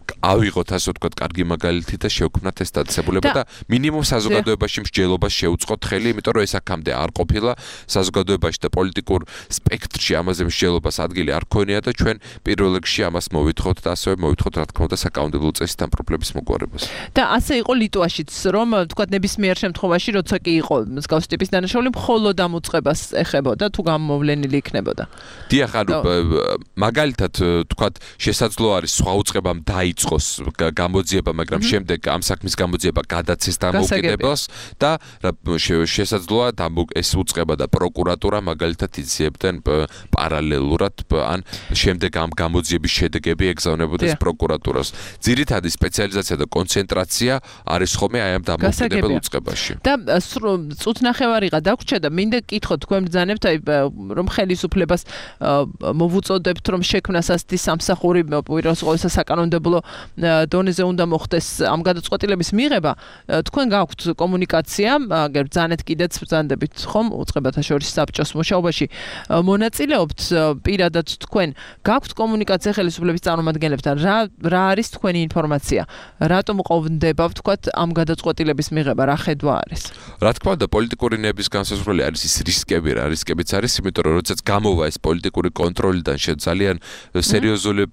Speaker 5: ავიღოთ ასე ვთქვათ კარგი მაგალითი და შევქმნათ ეს დაწესებულება და მინიმუმ საზოგადოებაში მსჯელობას შევუწყოთ ხელი, იმიტომ რომ ეს აქამდე არ ყოფილა საზოგადოებაში და პოლიტიკურ სპექტრში ამაზე მსჯელობას ადგილი არ ქონია და ჩვენ პირველ რიგში ამას მოვითხოვთ და ასევე მოვითხოვთ რა თქმა უნდა საკანონმდებლო წესთან პრობლემის მოგვარებას.
Speaker 3: და ასე იყო ლიტვაშიც რომ ვთქვათ ნებისმიერ შემთხვევაში როცა კი იყო მსგავსი ტიპის დანაშაული მხოლოდ ამ უწყებას ეხებოდა თუ გამოვლენილი იქნებოდა.
Speaker 5: დიახ, ანუ მაგალითად ვთქვათ შესაძლოა არის სხვა უწყებამ დაიწყოს გამოძიება, მაგრამ შემდეგ ამ საქმის გამოძიება გადაცეს დამოუკიდებლს და შესაძლოა ეს უწყება და პროკურატურა მაგალითად იძიებდნენ პარალელურად ან შემდეგ ამ გამოძიების შედეგები ეგზავნებოდეს პროკურატურას. ძირითადი სპეციალიზაცია და კონცენტრაცია არის ხოლმე აი ამ დამოუკიდებელ უწყებაში.
Speaker 3: და წუთნახევარიღა დაგვრჩა და მინდა გკითხოთ თქვენ ბრძანებთ აი რომ ხელისუფლებას მოვუწოდებთ რომ შექმნას ასეთი სამსახური უპირველეს ყოვლისა საკანონმდებლო დონეზე უნდა მოხდეს ამ გადაწყვეტილების მიღება. თქვენ გაქვთ კომუნიკაცია, აგერ ბრძანეთ კიდეც ბრძანდებით ხომ უწყებათა შორის საბჭოს მუშაობაში მონაწილეობთ პირადად თქვენ გაქვთ კომუნიკაცია ხელისუფლების წარმომადგენლებთან რა არის თქვენი ინფორმაცია რატომ ყოფნდება ვთქვათ ამ გადაწყვეტილების მიღება რა ხედვა არის
Speaker 5: რა თქმა უნდა პოლიტიკური ნების განსაზღვრელი არის ის რისკები რა რისკებიც არის იმიტომ რომ როდესაც გამოვა ეს პოლიტიკური კონტროლიდან ძალიან სერიოზული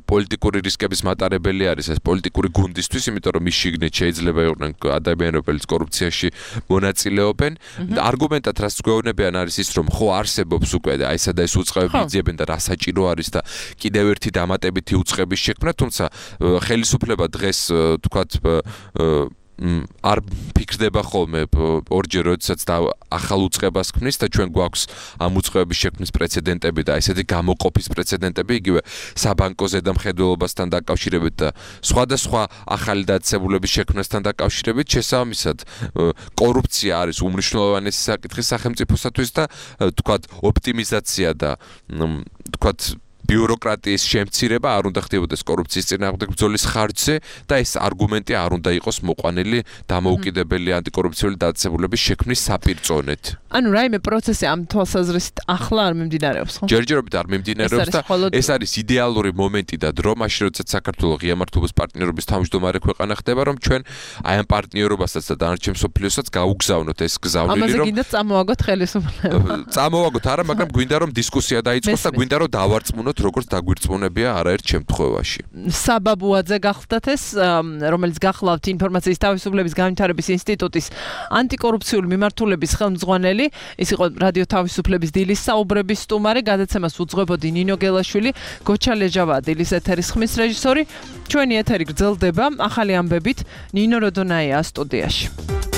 Speaker 5: პოლიტიკური რისკების მატარებელი დამხმარებელი არის ეს პოლიტიკური გუნდისთვის, იმიტომ რომ მის შიგნით შეიძლება იყვნენ ადამიანები, რომელიც კორუფციაში მონაწილეობენ. არგუმენტად რაც გვეუბნებიან არის ის, რომ ხო არსებობს უკვე აი ესა და ეს უწყებები იძიებენ და რა საჭირო არის და კიდევ ერთი დამატებითი უწყების შექმნა, თუმცა ხელისუფლება დღეს თქვათ არ ფიქრდება ხოლმე ორჯერ როდესაც ახალ უწყებას ქმნის და ჩვენ გვაქვს ამ უწყების შექმნის პრეცედენტები და ესეთი გამოყოფის პრეცედენტები იგივე საბანკო ზედამხედველობასთან დაკავშირებით და სხვადასხვა ახალი დაწესებულების შექმნასთან დაკავშირებით შესაბამისად კორუფცია არის უმნიშვნელოვანესი საკითხი სახელმწიფოსათვის და თქვათ ოპტიმიზაცია და თქვათ ბიუროკრატიის შემცირება არ უნდა ხდებოდეს კორუფციის წინააღმდეგ ბრძოლის ხარჯზე და ეს არგუმენტი არ უნდა იყოს მოყვანილი დამოუკიდებელი ანტიკორუფციული დაწესებულების შექმნის საპირწონედ.
Speaker 3: ანუ რაიმე პროცესი ამ თვალსაზრისით ახლა არ მიმდინარეობს, ხო?
Speaker 5: ჯერჯერობით არ მიმდინარეობს და ეს არის იდეალური მომენტი და დრო მაშინ როდესაც საქართველოს ღია მართლობის პარტნიორობის თავმჯდომარე ქვეყანა ხდება, რომ ჩვენ აი ამ პარტნიორობასაც და დანარჩენ მსოფლიოსაც გაუგზავნოთ ეს გზავნილი, რომ
Speaker 3: ამაზე გინდა წამოვაგოთ ხელისუფლება.
Speaker 5: წამოვაგოთ არა, მაგრამ გვინდა რომ დისკუსია დაიწყოს და გვინდა რომ დავარწმუნოთ როგორც დაგვირწმუნებია არაერთ შემთხვევაში.
Speaker 3: საბაბუაძე გახლდათ ეს, რომელიც გახლავთ ინფორმაციის თავისუფლების განვითარების ინსტიტუტის ანტიკორუფციული მიმართულების ხელმძღვანელი, ის იყო რადიო თავისუფლების დილის საუბრების სტუმარი, გადაცემას უძღვებოდი ნინო გელაშვილი, გოჩა ლეჟავაა დილის ეთერის ხმის რეჟისორი. ჩვენი ეთერი გრძელდება ახალი ამბებით ნინო როდონაია სტუდიაში.